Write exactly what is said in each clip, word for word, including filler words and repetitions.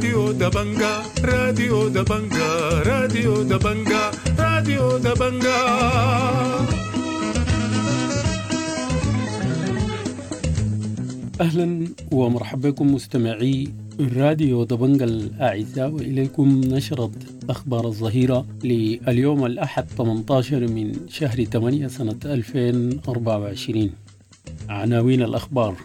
راديو دبنقا، راديو دبنقا، راديو دبنقا، راديو دبنقا. أهلا ومرحبا بكم مستمعي راديو دبنقا الأعزاء، وإليكم نشرة أخبار الظهيرة لليوم الأحد ثمانية عشر من شهر ثمانية سنة ألفين وأربعة وعشرين. عناوين الأخبار: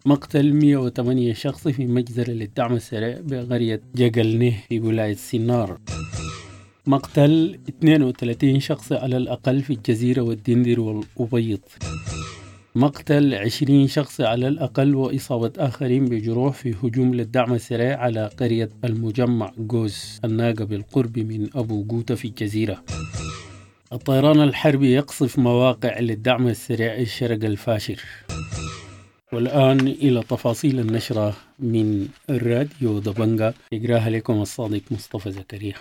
مقتل مئة وثمانية شخص في مجزرة للدعم السريع بقرية جقلنه في ولاية سنار، مقتل اثنين وثلاثين شخص على الأقل في الجزيرة والدندر والأبيض، مقتل عشرين شخص على الأقل وإصابة آخرين بجروح في هجوم للدعم السريع على قرية المجمع جوز الناقة بالقرب من أبو قوتة في الجزيرة. الطيران الحربي يقصف مواقع للدعم السريع الشرق الفاشر. والآن إلى تفاصيل النشرة من الراديو دبنقا، يقراها لكم الصادق مصطفى زكريا.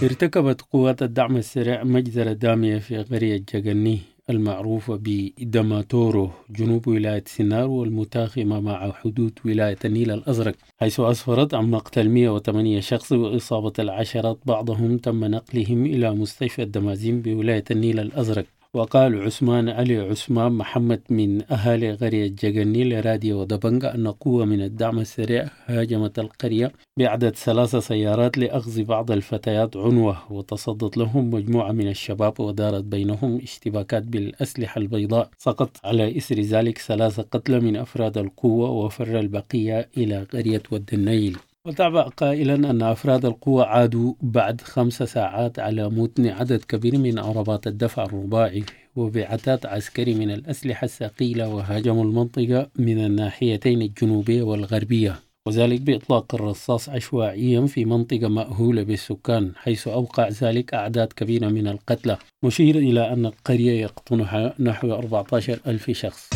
ارتكبت قوات الدعم السريع مجزرة دامية في قرية جقني المعروفة بدماتورو جنوب ولاية سنار والمتاخمة مع حدود ولاية النيل الأزرق، حيث أسفرت عن مقتل مئة وثمانية شخص وإصابة العشرات، بعضهم تم نقلهم إلى مستشفى الدمازين بولاية النيل الأزرق. وقال عثمان علي عثمان محمد من أهالي قرية جقني لراديو دبنقا أن قوة من الدعم السريع هاجمت القرية بعدد ثلاث سيارات لأخذ بعض الفتيات عنوة، وتصدت لهم مجموعة من الشباب ودارت بينهم اشتباكات بالأسلحة البيضاء. سقط على إثر ذلك ثلاثة قتلى من أفراد القوة وفر البقية إلى قرية ود النيل. وتابع قائلا أن أفراد القوة عادوا بعد خمس ساعات على متن عدد كبير من عربات الدفع الرباعي وبعتاد عسكري من الأسلحة الثقيلة، وهاجموا المنطقة من الناحيتين الجنوبية والغربية، وذلك بإطلاق الرصاص عشوائيا في منطقة مأهولة بالسكان، حيث أوقع ذلك أعداد كبيرة من القتلى، مشير إلى أن القرية يقطنها نحو أربعة عشر ألف شخص.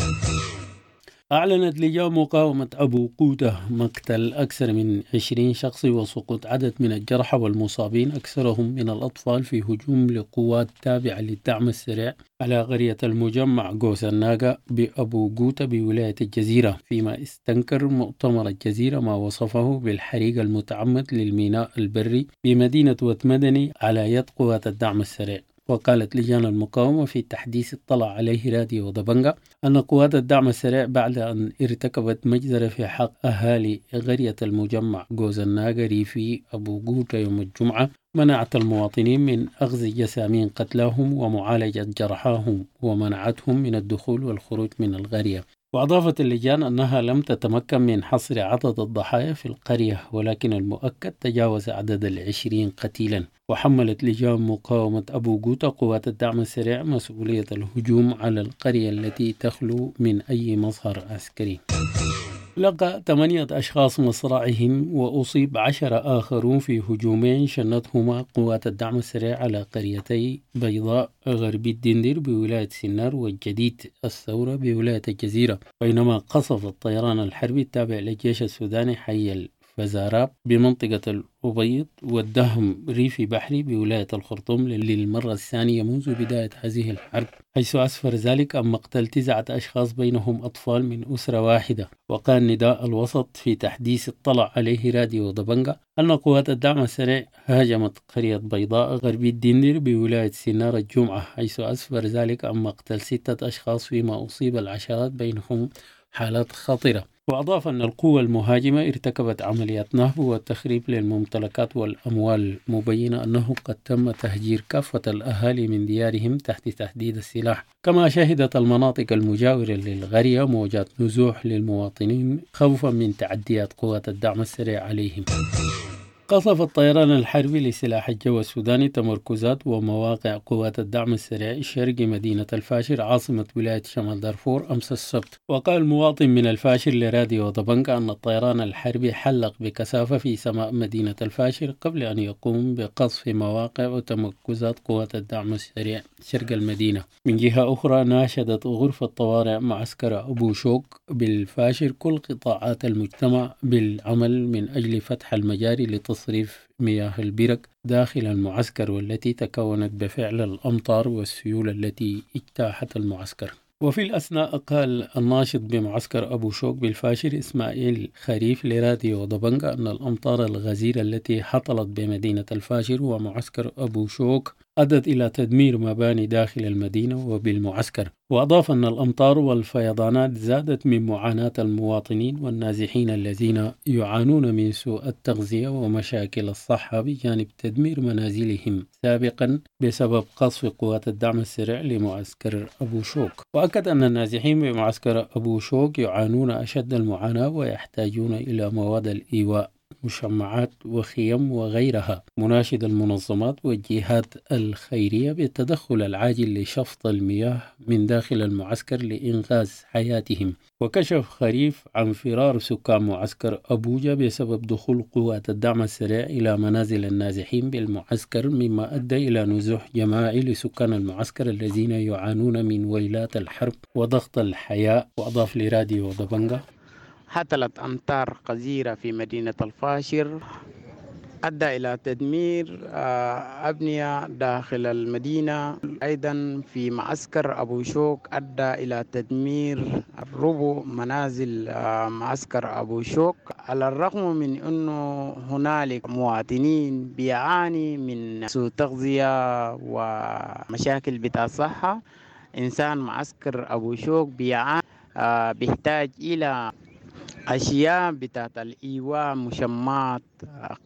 أعلنت لجان مقاومة أبو قوتة مقتل أكثر من عشرين شخص وسقوط عدد من الجرحى والمصابين أكثرهم من الأطفال في هجوم لقوات تابعة للدعم السريع على قرية المجمع جوز الناقة بأبو قوتة بولاية الجزيرة، فيما استنكر مؤتمر الجزيرة ما وصفه بالحريق المتعمد للميناء البري بمدينة وتمدني على يد قوات الدعم السريع. وقالت لجان المقاومة في تحديث اطلع عليه راديو دبنقا أن قوات الدعم السريع بعد أن ارتكبت مجزرة في حق أهالي قرية المجمع جوز الناقري في أبو قوتة يوم الجمعة منعت المواطنين من أخذ جسامين قتلاهم ومعالجة جرحاهم ومنعتهم من الدخول والخروج من القرية. وأضافت اللجان أنها لم تتمكن من حصر عدد الضحايا في القرية، ولكن المؤكد تجاوز عدد العشرين قتيلا. وحملت لجان مقاومة أبو قوتة قوات الدعم السريع مسؤولية الهجوم على القرية التي تخلو من أي مظهر عسكري. لقى ثمانية أشخاص مصرعهم وأصيب عشرة آخرون في هجومين شنتهما قوات الدعم السريع على قريتي بيضاء غربي الدندر بولاية سنار والجديد الثورة بولاية الجزيرة، بينما قصف الطيران الحربي التابع للجيش السوداني حي الفزاراب بمنطقة الأبيض والدهم ريفي بحري بولاية الخرطوم للمرة الثانية منذ بداية هذه الحرب، حيث أسفر ذلك عن مقتل تسعة أشخاص بينهم أطفال من أسرة واحدة. وقال نداء الوسط في تحديث اطلع عليه راديو دبنقا أن قوات الدعم السريع هاجمت قرية بيضاء غربي الدندر بولاية سنار الجمعة، حيث أسفر ذلك عن مقتل ستة أشخاص فيما أصيب العشرات بينهم حالات خطرة. وأضاف أن القوة المهاجمة ارتكبت عمليات نهب وتخريب للممتلكات والأموال، مبينة أنه قد تم تهجير كافة الأهالي من ديارهم تحت تهديد السلاح. كما شهدت المناطق المجاورة للقرية موجات نزوح للمواطنين خوفا من تعديات قوات الدعم السريع عليهم. قصف الطيران الحربي لسلاح الجو السوداني تمركزات ومواقع قوات الدعم السريع شرق مدينة الفاشر عاصمة ولاية شمال دارفور أمس السبت. وقال مواطن من الفاشر لراديو دبنقا أن الطيران الحربي حلق بكثافة في سماء مدينة الفاشر قبل أن يقوم بقصف مواقع وتمركزات قوات الدعم السريع شرق المدينة. من جهة أخرى ناشدت غرفة طوارئ معسكر أبو شوك بالفاشر كل قطاعات المجتمع بالعمل من أجل فتح المجاري لتصل تصريف مياه البرك داخل المعسكر، والتي تكونت بفعل الأمطار والسيول التي اجتاحت المعسكر. وفي الأثناء قال الناشط بمعسكر أبو شوك بالفاشر إسماعيل خريف لراديو دبنجا أن الأمطار الغزيرة التي هطلت بمدينة الفاشر ومعسكر أبو شوك أدت إلى تدمير مباني داخل المدينة وبالمعسكر. وأضاف أن الأمطار والفيضانات زادت من معاناة المواطنين والنازحين الذين يعانون من سوء التغذية ومشاكل الصحة، بجانب تدمير منازلهم سابقا بسبب قصف قوات الدعم السريع لمعسكر أبو شوك. وأكد أن النازحين بمعسكر أبو شوك يعانون أشد المعاناة ويحتاجون إلى مواد الإيواء، مشمعات وخيم وغيرها، مناشد المنظمات والجهات الخيرية بالتدخل العاجل لشفط المياه من داخل المعسكر لإنقاذ حياتهم. وكشف خريف عن فرار سكان معسكر أبوجا بسبب دخول قوات الدعم السريع إلى منازل النازحين بالمعسكر، مما أدى إلى نزوح جماعي لسكان المعسكر الذين يعانون من ويلات الحرب وضغط الحياة. وأضاف لراديو دبنجا: هطلت أمطار غزيرة في مدينة الفاشر أدى إلى تدمير أبنية داخل المدينة. أيضا في معسكر أبو شوك أدى إلى تدمير ربع منازل معسكر أبو شوك، على الرغم من أنه هنالك مواطنين بيعاني من سوء تغذية ومشاكل بتاع الصحة. إنسان معسكر أبو شوك بيعاني بيحتاج إلى أشياء بتاعت الإيواء، مشمات،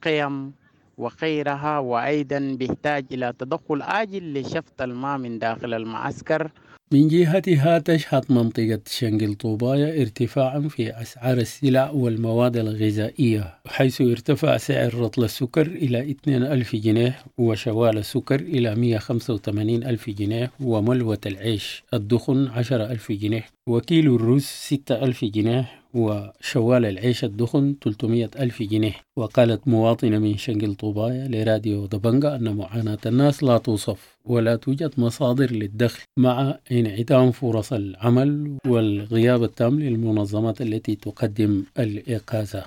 قيم وغيرها، وأيضا بيحتاج إلى تدخل عاجل لشفط الماء من داخل المعسكر. من جهتها تشهد منطقة شنقل طوبايا ارتفاعا في أسعار السلع والمواد الغذائية، حيث ارتفع سعر رطل السكر إلى اثنين ألف جنيه، وشوال السكر إلى مئة وخمسة وثمانين ألف جنيه، وملوة العيش الدخن عشرة ألف جنيه، وكيلو الرز ستة ألف جنيه، وشوال العيش الدخن ثلاثمئة ألف جنيه. وقالت مواطنة من شنقل طوبايا لراديو دبنجا أن معاناة الناس لا توصف ولا توجد مصادر للدخل مع انعدام فرص العمل والغياب التام للمنظمات التي تقدم الإقاذة.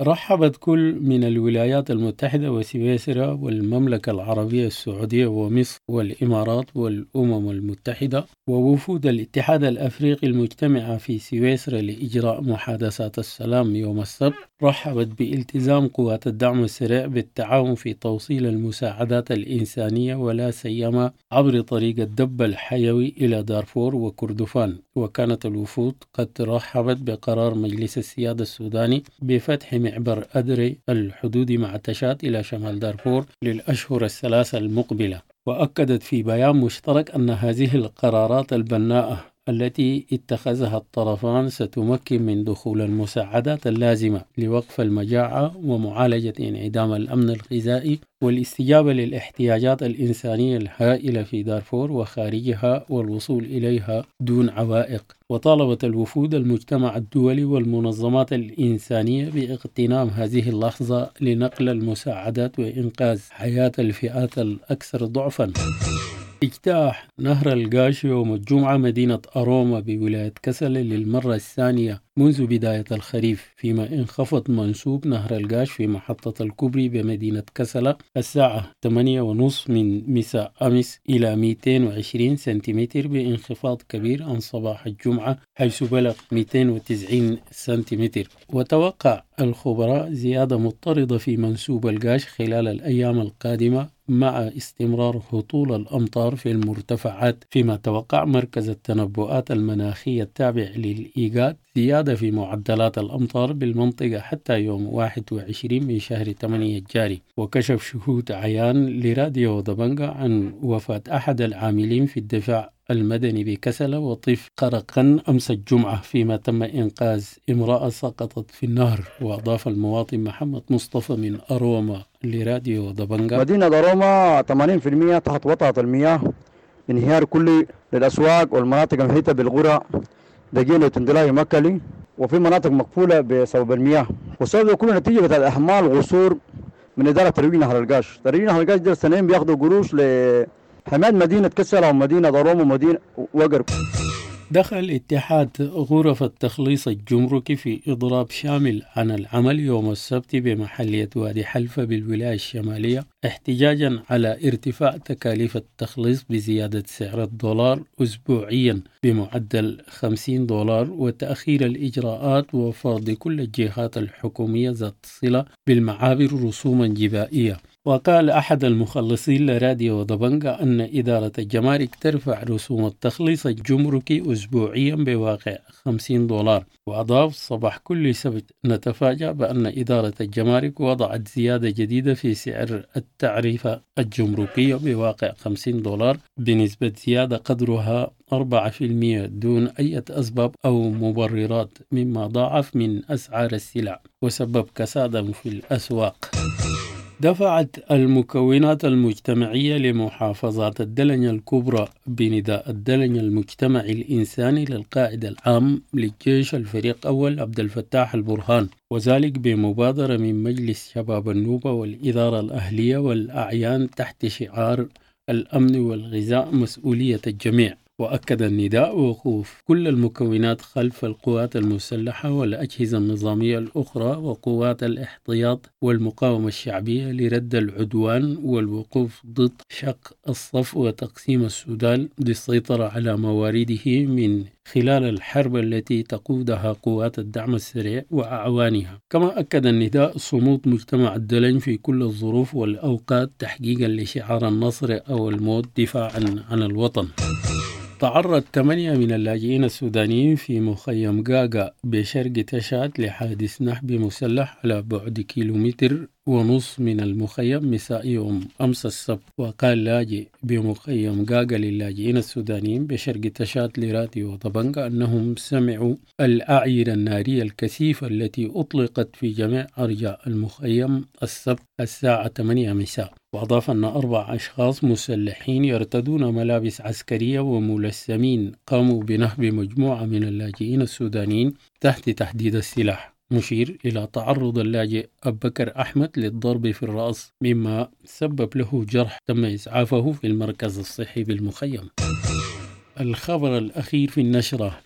رحبت كل من الولايات المتحدة وسويسرا والمملكة العربية السعودية ومصر والإمارات والأمم المتحدة ووفود الاتحاد الأفريقي المجتمعة في سويسرا لإجراء محادثات السلام يوم السبت، رحبت بالتزام قوات الدعم السريع بالتعاون في توصيل المساعدات الإنسانية ولا سيما عبر طريق الدب الحيوي إلى دارفور وكردفان. وكانت الوفود قد رحبت بقرار مجلس السيادة السوداني بفتح معبر أدري الحدود مع تشاد إلى شمال دارفور للأشهر الثلاثة المقبلة. وأكدت في بيان مشترك أن هذه القرارات البناءة التي اتخذها الطرفان ستمكن من دخول المساعدات اللازمة لوقف المجاعة ومعالجة انعدام الأمن الغذائي والاستجابة للاحتياجات الإنسانية الهائلة في دارفور وخارجها والوصول إليها دون عوائق. وطالبت الوفود المجتمع الدولي والمنظمات الإنسانية باغتنام هذه اللحظة لنقل المساعدات وإنقاذ حياة الفئات الأكثر ضعفا. اجتاح نهر القاش يوم الجمعة مدينة أروما بولاية كسل للمرة الثانية منذ بداية الخريف، فيما انخفض منسوب نهر القاش في محطة الكوبري بمدينة كسلة الساعة ثمانية ونصف من مساء أمس إلى مئتين وعشرين سنتيمتر، بانخفاض كبير عن صباح الجمعة حيث بلغ مئتين وتسعين سنتيمتر. وتوقع الخبراء زيادة مضطردة في منسوب القاش خلال الأيام القادمة مع استمرار هطول الأمطار في المرتفعات، فيما توقع مركز التنبؤات المناخية التابع للإيجاد زيادة في معدلات الأمطار بالمنطقة حتى يوم واحد وعشرين من شهر ثمانية الجاري. وكشف شهود عيان لراديو دبنجا عن وفاة أحد العاملين في الدفاع المدني بكسلة وطفل غرقا أمس الجمعة، فيما تم إنقاذ امرأة سقطت في النهر. وأضاف المواطن محمد مصطفى من أروما لراديو دبنجا: مدينة أروما ثمانين بالمئة تحت وطأة المياه، انهيار كلي للأسواق والمناطق المحيطة بالقرى دقيلة وتندلاي مكلي، وفي مناطق مقفولة بسبب المياه، والسبب كله نتيجة الأحمال غصور من إدارة ترويج نهر القاش. ترويج نهر القاش ده سنين بياخدوا قروش ل حماية مدينة كسلة ومدينة أروما ومدينة وقر. دخل اتحاد غرف التخليص الجمركي في إضراب شامل عن العمل يوم السبت بمحلية وادي حلفة بالولاية الشمالية احتجاجا على ارتفاع تكاليف التخليص بزيادة سعر الدولار أسبوعيا بمعدل خمسين دولار وتأخير الإجراءات وفرض كل الجهات الحكومية ذات صلة بالمعابر رسوما جبائية. وقال أحد المخلصين لراديو دبنجا أن إدارة الجمارك ترفع رسوم التخليص الجمركي أسبوعيا بواقع خمسين دولار. وأضاف صباح كل سبت نتفاجأ بأن إدارة الجمارك وضعت زيادة جديدة في سعر التعريفة الجمركية بواقع خمسين دولار بنسبة زيادة قدرها أربعة في المئة دون أي أسباب أو مبررات، مما ضاعف من أسعار السلع وسبب كسادا في الأسواق. دفعت المكونات المجتمعية لمحافظات الدلنج الكبرى بنداء الدلنج المجتمعي الإنساني للقائد العام للجيش الفريق أول عبد الفتاح البرهان، وذلك بمبادرة من مجلس شباب النوبة والإدارة الأهلية والأعيان تحت شعار الأمن والغذاء مسؤولية الجميع. وأكد النداء وقوف كل المكونات خلف القوات المسلحة والأجهزة النظامية الأخرى وقوات الاحتياط والمقاومة الشعبية لرد العدوان والوقوف ضد شق الصف وتقسيم السودان للسيطرة على موارده من خلال الحرب التي تقودها قوات الدعم السريع وأعوانها. كما أكد النداء صمود مجتمع الدلنج في كل الظروف والأوقات تحقيقا لشعار النصر أو الموت دفاعا عن الوطن. تعرض ثمانية من اللاجئين السودانيين في مخيم غاغا بشرق تشاد لحادث نهب مسلح على بعد كيلومتر ونص من المخيم مساء يوم أمس السبت. وقال لاجئ بمخيم غاغا للاجئين السودانيين بشرق تشاد لراديو طبنجة أنهم سمعوا الأعيرة النارية الكثيفة التي أطلقت في جميع أرجاء المخيم السبت الساعة ثمانية مساء. وأضاف أن أربع أشخاص مسلحين يرتدون ملابس عسكرية وملثمين قاموا بنهب مجموعة من اللاجئين السودانيين تحت تهديد السلاح، مشير إلى تعرض اللاجئ أبو بكر أحمد للضرب في الرأس مما سبب له جرح تم إسعافه في المركز الصحي بالمخيم. الخبر الأخير في النشرة: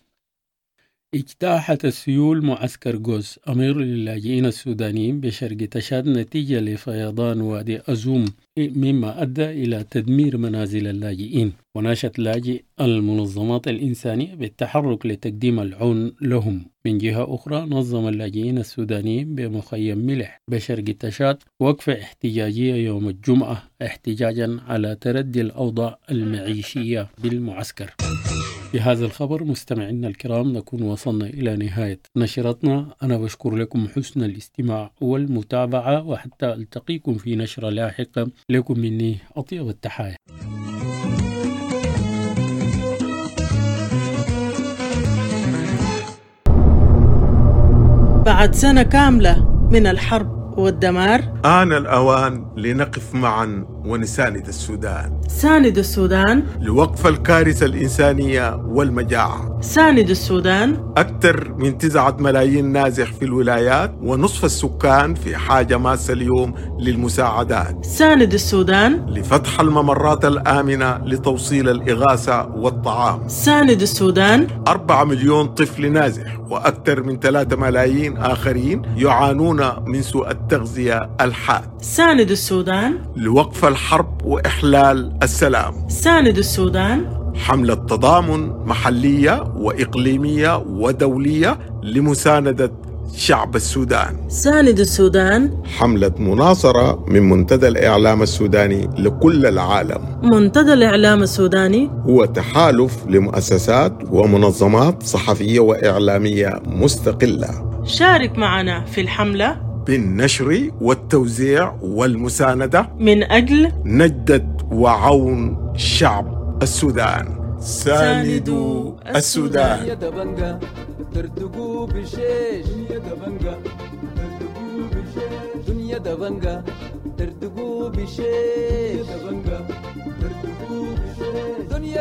اجتاحت السيول معسكر جوز أمير للاجئين السودانيين بشرق تشاد نتيجة لفيضان وادي أزوم، مما أدى إلى تدمير منازل اللاجئين. وناشد لاجئ المنظمات الإنسانية بالتحرك لتقديم العون لهم. من جهة أخرى، نظم اللاجئين السودانيين بمخيم ملح بشرق تشاد وقفة احتجاجية يوم الجمعة احتجاجا على تردي الأوضاع المعيشية بالمعسكر. بهذا الخبر مستمعينا الكرام نكون وصلنا إلى نهاية نشرتنا. أنا بشكر لكم حسن الاستماع والمتابعة، وحتى ألتقيكم في نشرة لاحقة. لكم مني أطيب التحايا. بعد سنة كاملة من الحرب والدمار، آن الأوان لنقف معا ونساند السودان. ساند السودان لوقف الكارثة الإنسانية والمجاعة. ساند السودان. أكثر من تسعة ملايين نازح في الولايات، ونصف السكان في حاجة ماسة اليوم للمساعدات. ساند السودان لفتح الممرات الآمنة لتوصيل الإغاثة والطعام. ساند السودان. أربعة مليون طفل نازح وأكثر من ثلاثة ملايين آخرين يعانون من سوء التغذية الحاد. ساند السودان لوقف الحرب وإحلال السلام. ساند السودان. حملة تضامن محلية وإقليمية ودولية لمساندة شعب السودان. ساند السودان. حملة مناصرة من منتدى الإعلام السوداني لكل العالم. منتدى الإعلام السوداني هو تحالف لمؤسسات ومنظمات صحفية وإعلامية مستقلة. شارك معنا في الحملة بالنشر والتوزيع والمساندة من أجل نجدة وعون شعب السودان. ساندوا السودان. دنيا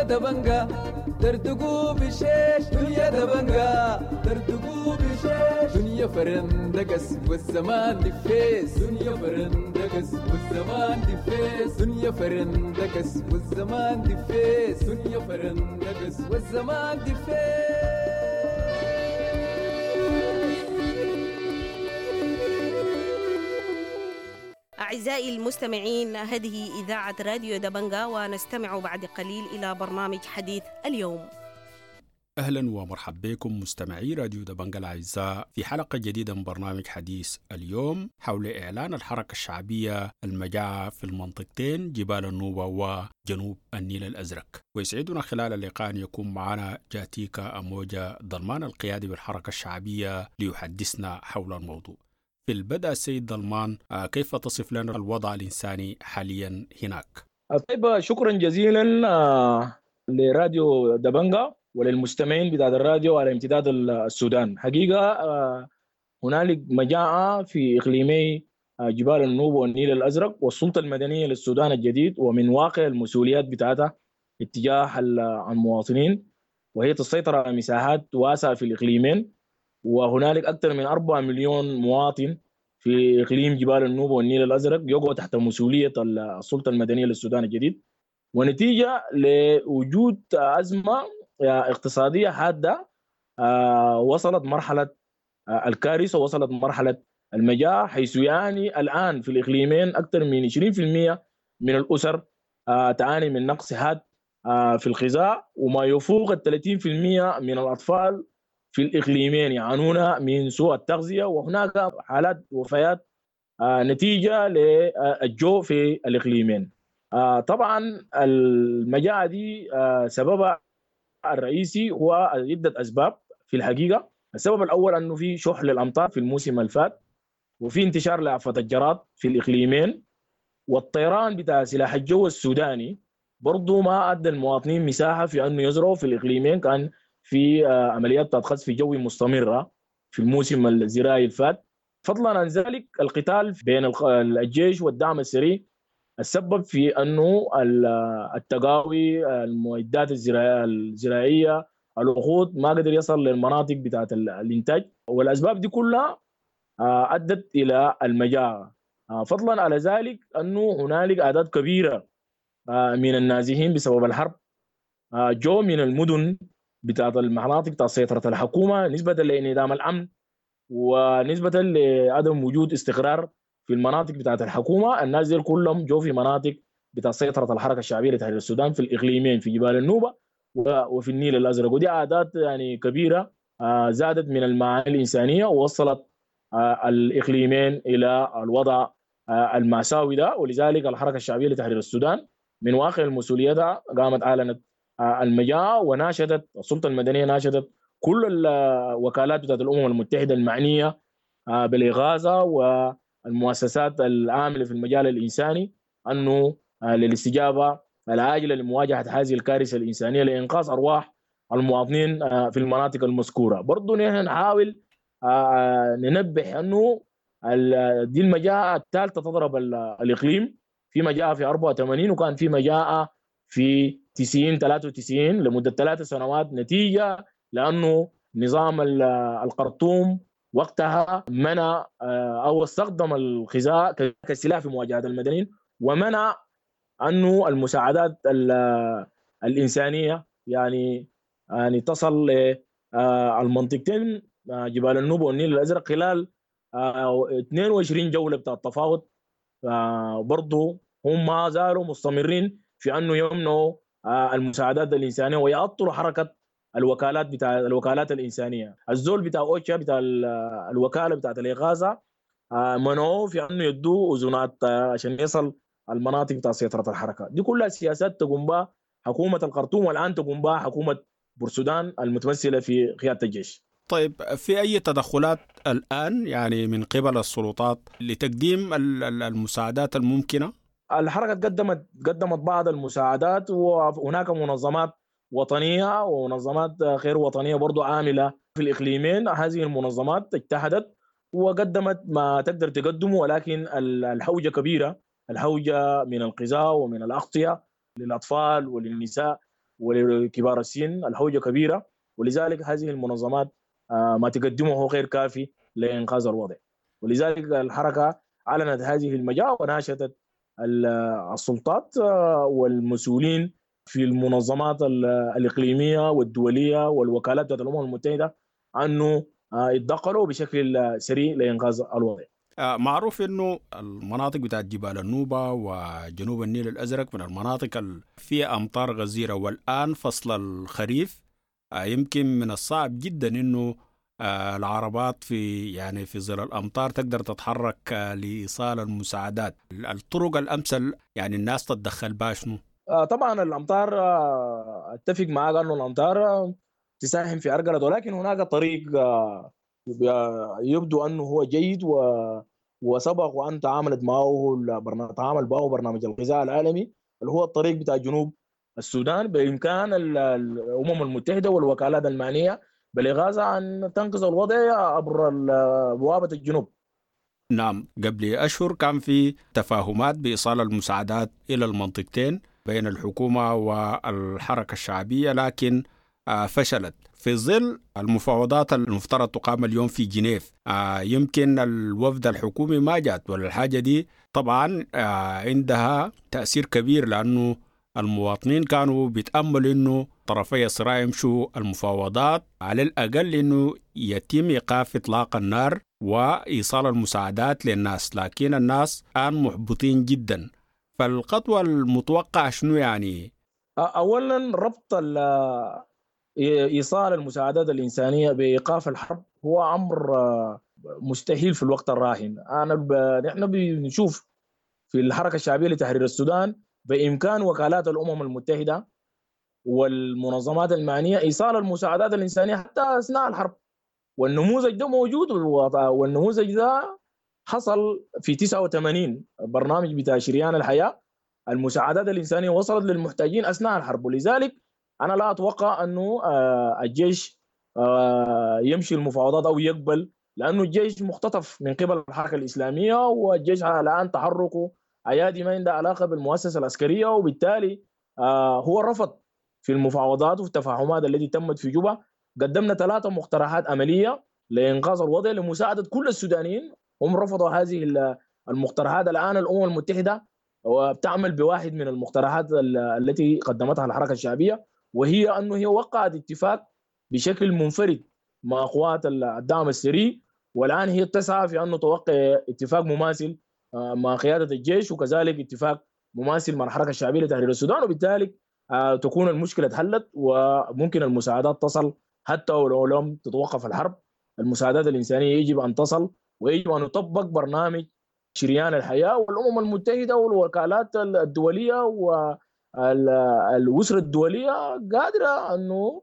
دبنجا دردقوا بشيش دنيا دبنجا دردقوا بشيش دنيا فرندقس والزمان دفيس دنيا فرندقس والزمان دفيس دنيا فرندقس والزمان دفيس دنيا فرندقس والزمان دفيس. أعزائي المستمعين، هذه إذاعة راديو دبنجا، ونستمع بعد قليل إلى برنامج حديث اليوم. أهلا ومرحبا بكم مستمعي راديو دبنجا الأعزاء في حلقة جديدة من برنامج حديث اليوم حول إعلان الحركة الشعبية المجاعة في المنطقتين جبال النوبة وجنوب النيل الأزرق. ويسعدنا خلال اللقاء أن يكون معنا جاتيكا أموجا ضلمان القيادي بالحركة الشعبية ليحدثنا حول الموضوع. في البدء السيد ضلمان، كيف تصف لنا الوضع الإنساني حاليا هناك؟ طيب، شكرا جزيلا لراديو دبنجا وللمستمعين بتاع الراديو على امتداد السودان. حقيقة هنالك مجاعة في إقليمي جبال النوبة والنيل الأزرق، والسلطة المدنية للسودان الجديد ومن واقع المسؤوليات بتاعتها اتجاه المواطنين، وهي تسيطر على مساحات واسعة في الإقليمين، وهنالك أكثر من أربعة مليون مواطن في إقليم جبال النوبة والنيل الأزرق يقع تحت مسؤولية السلطة المدنية للسودان الجديد. ونتيجة لوجود أزمة اقتصادية حادة وصلت مرحلة الكارثة، وصلت مرحلة المجاعة، حيث يعني الآن في الإقليمين أكثر من عشرين بالمئة من الأسر تعاني من نقص حاد في الغذاء، وما يفوق ال ثلاثين بالمئة من الأطفال في الإقليمين يعانون من سوء التغذية، وهناك حالات وفيات نتيجة للجوع في الإقليمين. طبعا المجاعة دي سببها الرئيسي هو عدة أسباب في الحقيقة. السبب الأول أنه في شح للأمطار في الموسم الفات، وفي انتشار لآفة الجراد في الإقليمين، والطيران بتاع سلاح الجو السوداني برضو ما أدى المواطنين مساحة في أنه يزرعوا في الإقليمين. كان في عمليات قصف جوي مستمرة في الموسم الزراعي الفات. فضلا عن ذلك القتال بين الجيش والدعم السري السبب في أنه التقاوي، المعدات الزراعية، الوقود ما قدر يصل للمناطق بتاعت الإنتاج، والأسباب دي كلها أدت إلى المجاعة. فضلا على ذلك أنه هنالك أعداد كبيرة من النازحين بسبب الحرب جو من المدن بتاعت المناطق بتاعت سيطرة الحكومة نسبة لانعدام الأمن ونسبة لعدم وجود استقرار في المناطق بتاعت الحكومة. الناس دي كلهم جو في مناطق بتاعت سيطرة الحركة الشعبية لتحرير السودان في الإقليمين، في جبال النوبة وفي النيل الأزرق. ودي أعداد يعني كبيرة زادت من المعاني الإنسانية ووصلت الإقليمين إلى الوضع المأساوي ده. ولذلك الحركة الشعبية لتحرير السودان من واقع المسؤولية ده قامت أعلنت المجاعة، وناشدت السلطة المدنية، ناشدت كل الوكالات بتاعت الأمم المتحدة المعنية بالإغاثة والمؤسسات العاملة في المجال الإنساني أنه للاستجابة العاجلة لمواجهة هذه الكارثة الإنسانية لإنقاذ أرواح المواطنين في المناطق المذكورة. برضو نحن نحاول ننبه أنه دي المجاعة الثالثة تضرب الإقليم. في مجاعة في أربعة وثمانين، وكان في مجاعة في تسعين ثلاثة وتسعين لمدة ثلاث سنوات، نتيجة لأنه نظام القرطوم وقتها منع أو استخدم الغذاء كسلاح في مواجهة المدنيين، ومنع أنه المساعدات الإنسانية يعني يعني تصل للمنطقتين جبال النوبة والنيل الأزرق خلال اثنين وعشرين جولة بتاع التفاوض. برضو هم ما زالوا مستمرين في أنه يمنعوا المساعدات الإنسانية ويعطلوا حركة الوكالات بتاع الوكالات الإنسانية. الزول بتاع أوتشا بتاع الوكالة بتاعت الإغاثة منعوه في أنه يدوا أذونات عشان يصل المناطق بتاع سيطرة الحركة. دي كلها سياسات تقوم بها حكومة الخرطوم، والآن تقوم بها حكومة بورسودان المتمثلة في قيادة الجيش. طيب، في أي تدخلات الآن يعني من قبل السلطات لتقديم المساعدات الممكنة؟ الحركة قدمت قدمت بعض المساعدات، وهناك منظمات وطنية ومنظمات غير وطنية برضو عاملة في الإقليمين. هذه المنظمات اجتهدت وقدمت ما تقدر تقدمه، ولكن الحوجة كبيرة، الحوجة من الغذاء ومن الأغطية للأطفال وللنساء ولكبار السن، الحوجة كبيرة، ولذلك هذه المنظمات ما تقدمه هو غير كافي لإنقاذ الوضع. ولذلك الحركة أعلنت هذه المجاعة وناشدت السلطات والمسؤولين في المنظمات الإقليمية والدولية والوكالات الأمم المتحدة أنه يتدخلوا بشكل سريع لإنقاذ الوضع. معروف أنه المناطق بتاعت جبال النوبة وجنوب النيل الأزرق من المناطق اللي فيها أمطار غزيرة، والآن فصل الخريف يمكن من الصعب جدا أنه العربات في يعني في ظل الأمطار تقدر تتحرك لإيصال المساعدات. الطرق الأمثل يعني الناس تتدخل بها شنو؟ طبعا الأمطار، أتفق معك أنه الأمطار تساهم في عرقلة، ولكن هناك طريق يبدو أنه هو جيد و... وسبق وأن تعاملت معه البرنامج تعامل معه برنامج الغذاء العالمي اللي هو الطريق بتاع جنوب السودان. بإمكان الأمم المتحدة والوكالات المعنية بالإغاثة أن تنقذ الوضع عبر بوابة الجنوب. نعم، قبل أشهر كان في تفاهمات بإيصال المساعدات إلى المنطقتين بين الحكومة والحركة الشعبية، لكن فشلت في ظل المفاوضات المفترض تقام اليوم في جنيف. يمكن الوفد الحكومي ما جات، ولا الحاجة دي طبعا عندها تأثير كبير، لأنه المواطنين كانوا بيتأملوا إنه طرفي الصراع يمشوا المفاوضات على الأقل إنه يتم إيقاف إطلاق النار وإيصال المساعدات للناس، لكن الناس الآن محبطين جدا. فالخطوة المتوقعة شنو يعني؟ أولا ربط إيصال المساعدات الإنسانية بإيقاف الحرب هو أمر مستحيل في الوقت الراهن. أنا ب... نحن بنشوف في الحركة الشعبية لتحرير السودان بإمكان وكالات الأمم المتحدة والمنظمات المعنية إيصال المساعدات الإنسانية حتى أثناء الحرب، والنموذج ده موجود، والنموذج ده حصل في تسعة وثمانين برنامج بتاع شريان الحياة، المساعدات الإنسانية وصلت للمحتاجين أثناء الحرب. ولذلك أنا لا أتوقع أنه الجيش يمشي المفاوضات أو يقبل، لأنه الجيش مختطف من قبل الحركة الإسلامية، والجيش الآن تحركه أيادي ما عنده علاقة بالمؤسسة العسكرية، وبالتالي هو رفض في المفاوضات والتفاهمات التي تمت في جوبا. قدمنا ثلاثة مقترحات عملية لإنقاذ الوضع لمساعدة كل السودانيين، هم رفضوا هذه المقترحات. الآن الأمم المتحدة وبتعمل بواحد من المقترحات التي قدمتها الحركة الشعبية، وهي أنه هي وقعت اتفاق بشكل منفرد مع قوات الدعم السري، والآن هي تسعى في أنه توقع اتفاق مماثل مع قيادة الجيش، وكذلك اتفاق مماثل مع الحركة الشعبية لتحرير السودان، وبالتالي تكون المشكلة اتحلت وممكن المساعدات تصل حتى ولو لم تتوقف الحرب. المساعدات الإنسانية يجب أن تصل، ويجب أن يطبق برنامج شريان الحياة، والأمم المتحدة والوكالات الدولية والأسرة الدولية قادرة أنه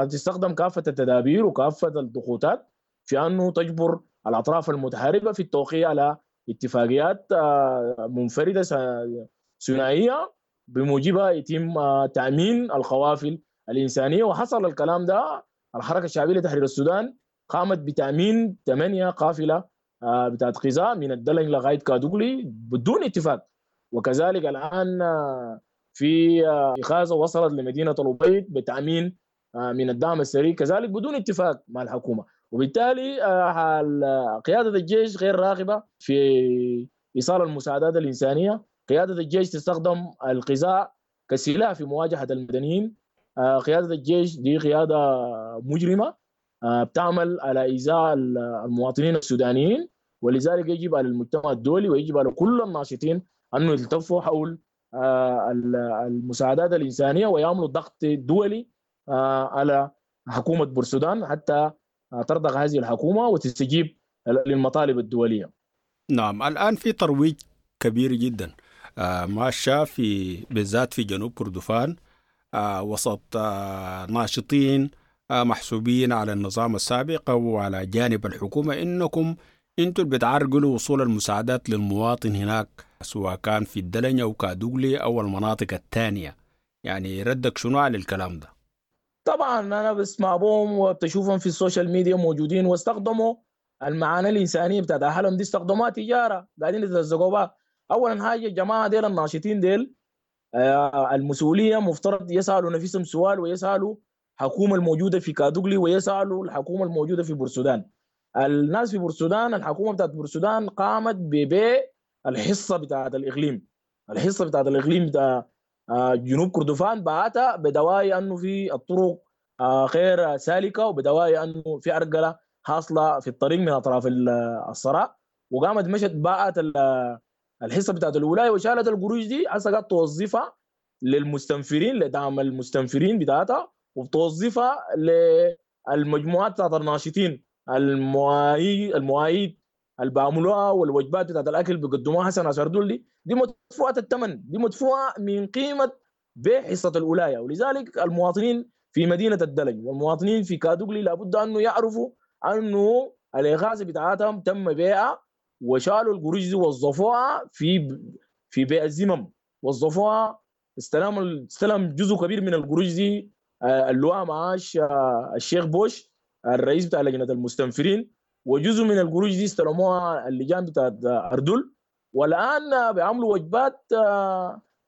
تستخدم كافة التدابير وكافة الضغوطات في أنه تجبر الأطراف المتحاربة في التوقيع على اتفاقيات منفردة ثنائية بموجبها يتم تأمين القوافل الإنسانية. وحصل الكلام ده، الحركة الشعبية لتحرير السودان قامت بتأمين ثمانية قافلة بتاعت غذاء من الدلنج لغاية كادوغلي بدون اتفاق، وكذلك الآن في إغاثة وصلت لمدينة الأبيض بتأمين من الدعم السري كذلك بدون اتفاق مع الحكومة. وبالتالي قيادة الجيش غير راغبة في إيصال المساعدات الإنسانية. قيادة الجيش تستخدم الغذاء كسلاح في مواجهة المدنيين. قيادة الجيش دي قيادة مجرمة بتعمل على إيذاء المواطنين السودانيين، ولذلك يجب على المجتمع الدولي ويجب على كل الناشطين أنه يلتفوا حول المساعدات الإنسانية ويعملوا ضغط دولي على حكومة بورسودان حتى ترضخ هذه الحكومة وتستجيب للمطالب الدولية. نعم، الآن في ترويج كبير جدا ماشى في بالذات في جنوب كردفان وسط ناشطين محسوبين على النظام السابق أو على جانب الحكومة، إنكم أنتوا اللي بتعرقلوا وصول المساعدات للمواطن هناك، سواء كان في الدلنج أو كادوغلي أو المناطق الثانية. يعني ردك شنو على الكلام ده؟ طبعا أنا بسمع بهم وبتشوفهم في ال social media موجودين، واستخدموا المعاناة الإنسانية بتاعت أهلهم دي، استخدموها تجارة، قاعدين يترزقوا بها. أولا حاجة الجماعة ديل الناشطين ديل المسؤولية مفترض يسالوا نفسهم سؤال، ويسالوا الحكومة الموجودة في كادوغلي، ويسالوا الحكومة الموجودة في بورسودان. الناس في بورسودان، الحكومة بتاعت بورسودان قامت ببيع الحصة بتاعت الاقليم، الحصة بتاعت الاقليم بتاع جنوب كردفان باعتها بدواعي انه في الطرق غير سالكة، وبدواعي انه في ارجله حاصله في الطريق من اطراف الصراع، وقامت مشت باعت الحصة بتاعت الولاية وشالت القروش دي، هسه قاعد توظفها للمستنفرين، لدعم المستنفرين بتاعتها، وبتوظفها للمجموعات بتاعت الناشطين المواعيد المواعيد اللي بيعملوها والوجبات بتاعت الاكل اللي بيقدموها هسه ناس اردول دي، دي مدفوعة الثمن، دي مدفوعة من قيمة بيع حصة الولاية. ولذلك المواطنين في مدينة الدلنج والمواطنين في كادوغلي لابد انه يعرفوا انه الاغاثة بتاعتهم تم بيعها، وشالوا القروش دي وظفوها في في بيع الزمم، وظفوها استلم استلم جزء كبير من القروش دي اللواء معاش الشيخ بوش الرئيس بتاع لجنة المستنفرين، وجزء من القروش دي استلموها اللجان بتاعت اردول. والان بيعملوا وجبات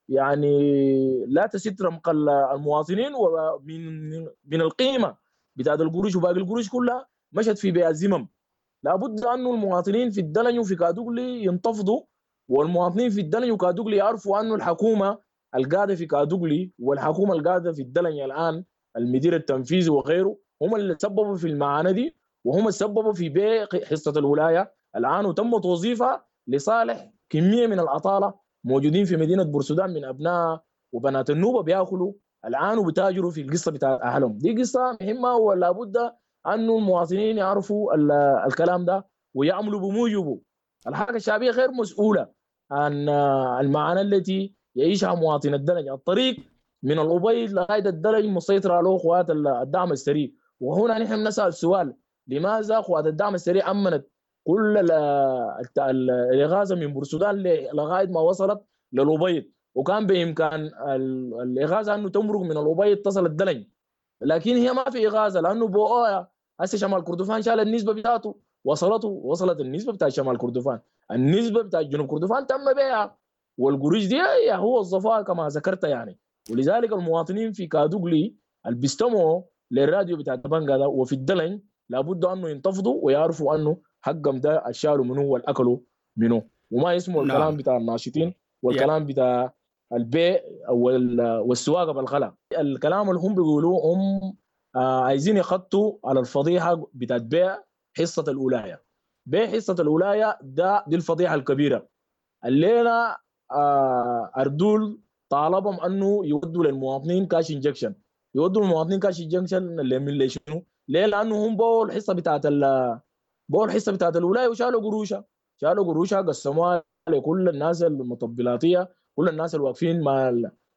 يعني لا تسد رمق المواطنين، ومن من القيمة بتاعت القروش وباقي القروش كلها مشت في بيع الزمم. لابد انه المواطنين في الدلنج وفي كادوغلي ينتفضوا، والمواطنين في الدلنج وكادوغلي يعرفوا انه الحكومة القاعدة في كادوغلي والحكومة القاعدة في الدلنج الان المدير التنفيذي وغيره هم اللي سببوا في المعاناة دي، وهم اللي سببوا في بيع حصة الولاية الان، وتم توظيفها لصالح كمية من العطاله موجودين في مدينة بورسودان من ابناء وبنات النوبة بياكلوا الان وبتاجروا في القصة بتاع اهلهم. دي قصة مهمة، ولا بد انه المواطنين يعرفوا الكلام ده ويعملوا بموجبه. الحركة الشعبية غير مسؤولة عن المعاناة التي يعيشها مواطن الدلنج. الطريق من الأبيض لغاية الدلنج مسيطرة على قوات الدعم السريع، وهنا نحن نسال سؤال: لماذا قوات الدعم السريع امنت كل الاغاثة من بورسودان لغاية ما وصلت للأبيض، وكان بامكان الاغاثة انه تمرق من الأبيض تصل الدلنج، لكن هي ما في اغاثه لانه بوقايا هسه شمال كردفان شال النسبة بتاعته، وصلته وصلت النسبة بتاع شمال كردفان، النسبة بتاع جنوب كردفان تم بيعها، والقروش دي هو وظفوها كما ذكرت يعني. ولذلك المواطنين في كادوغلي اللي بيستمعوا للراديو بتاع دبنجا ده وفي الدلنج لابد انه ينتفضوا ويعرفوا انه حقهم ده الشالوا منه والاكلوا منه، وما يسمعوا الكلام نعم. بتاع الناشطين والكلام بتاع البيع والسواقه بالخلا. الكلام اللي هم بيقولوه هم عايزين يخطوا على الفضيحة بتاعت بيع حصة الولاية. بيع حصة الولاية ده دي الفضيحة الكبيرة. الليلة اردول طالبهم انه يودوا للمواطنين cash injection، يودوا للمواطنين cash injection اللي من ليش شنو؟ ليه؟ لانه هم باعوا الحصة بتاعت ال باعوا الحصة بتاعت الولاية وشالوا قروشها، شالوا قروشها قسموها لكل الناس المطبلاتيه، كل الناس الواقفين مع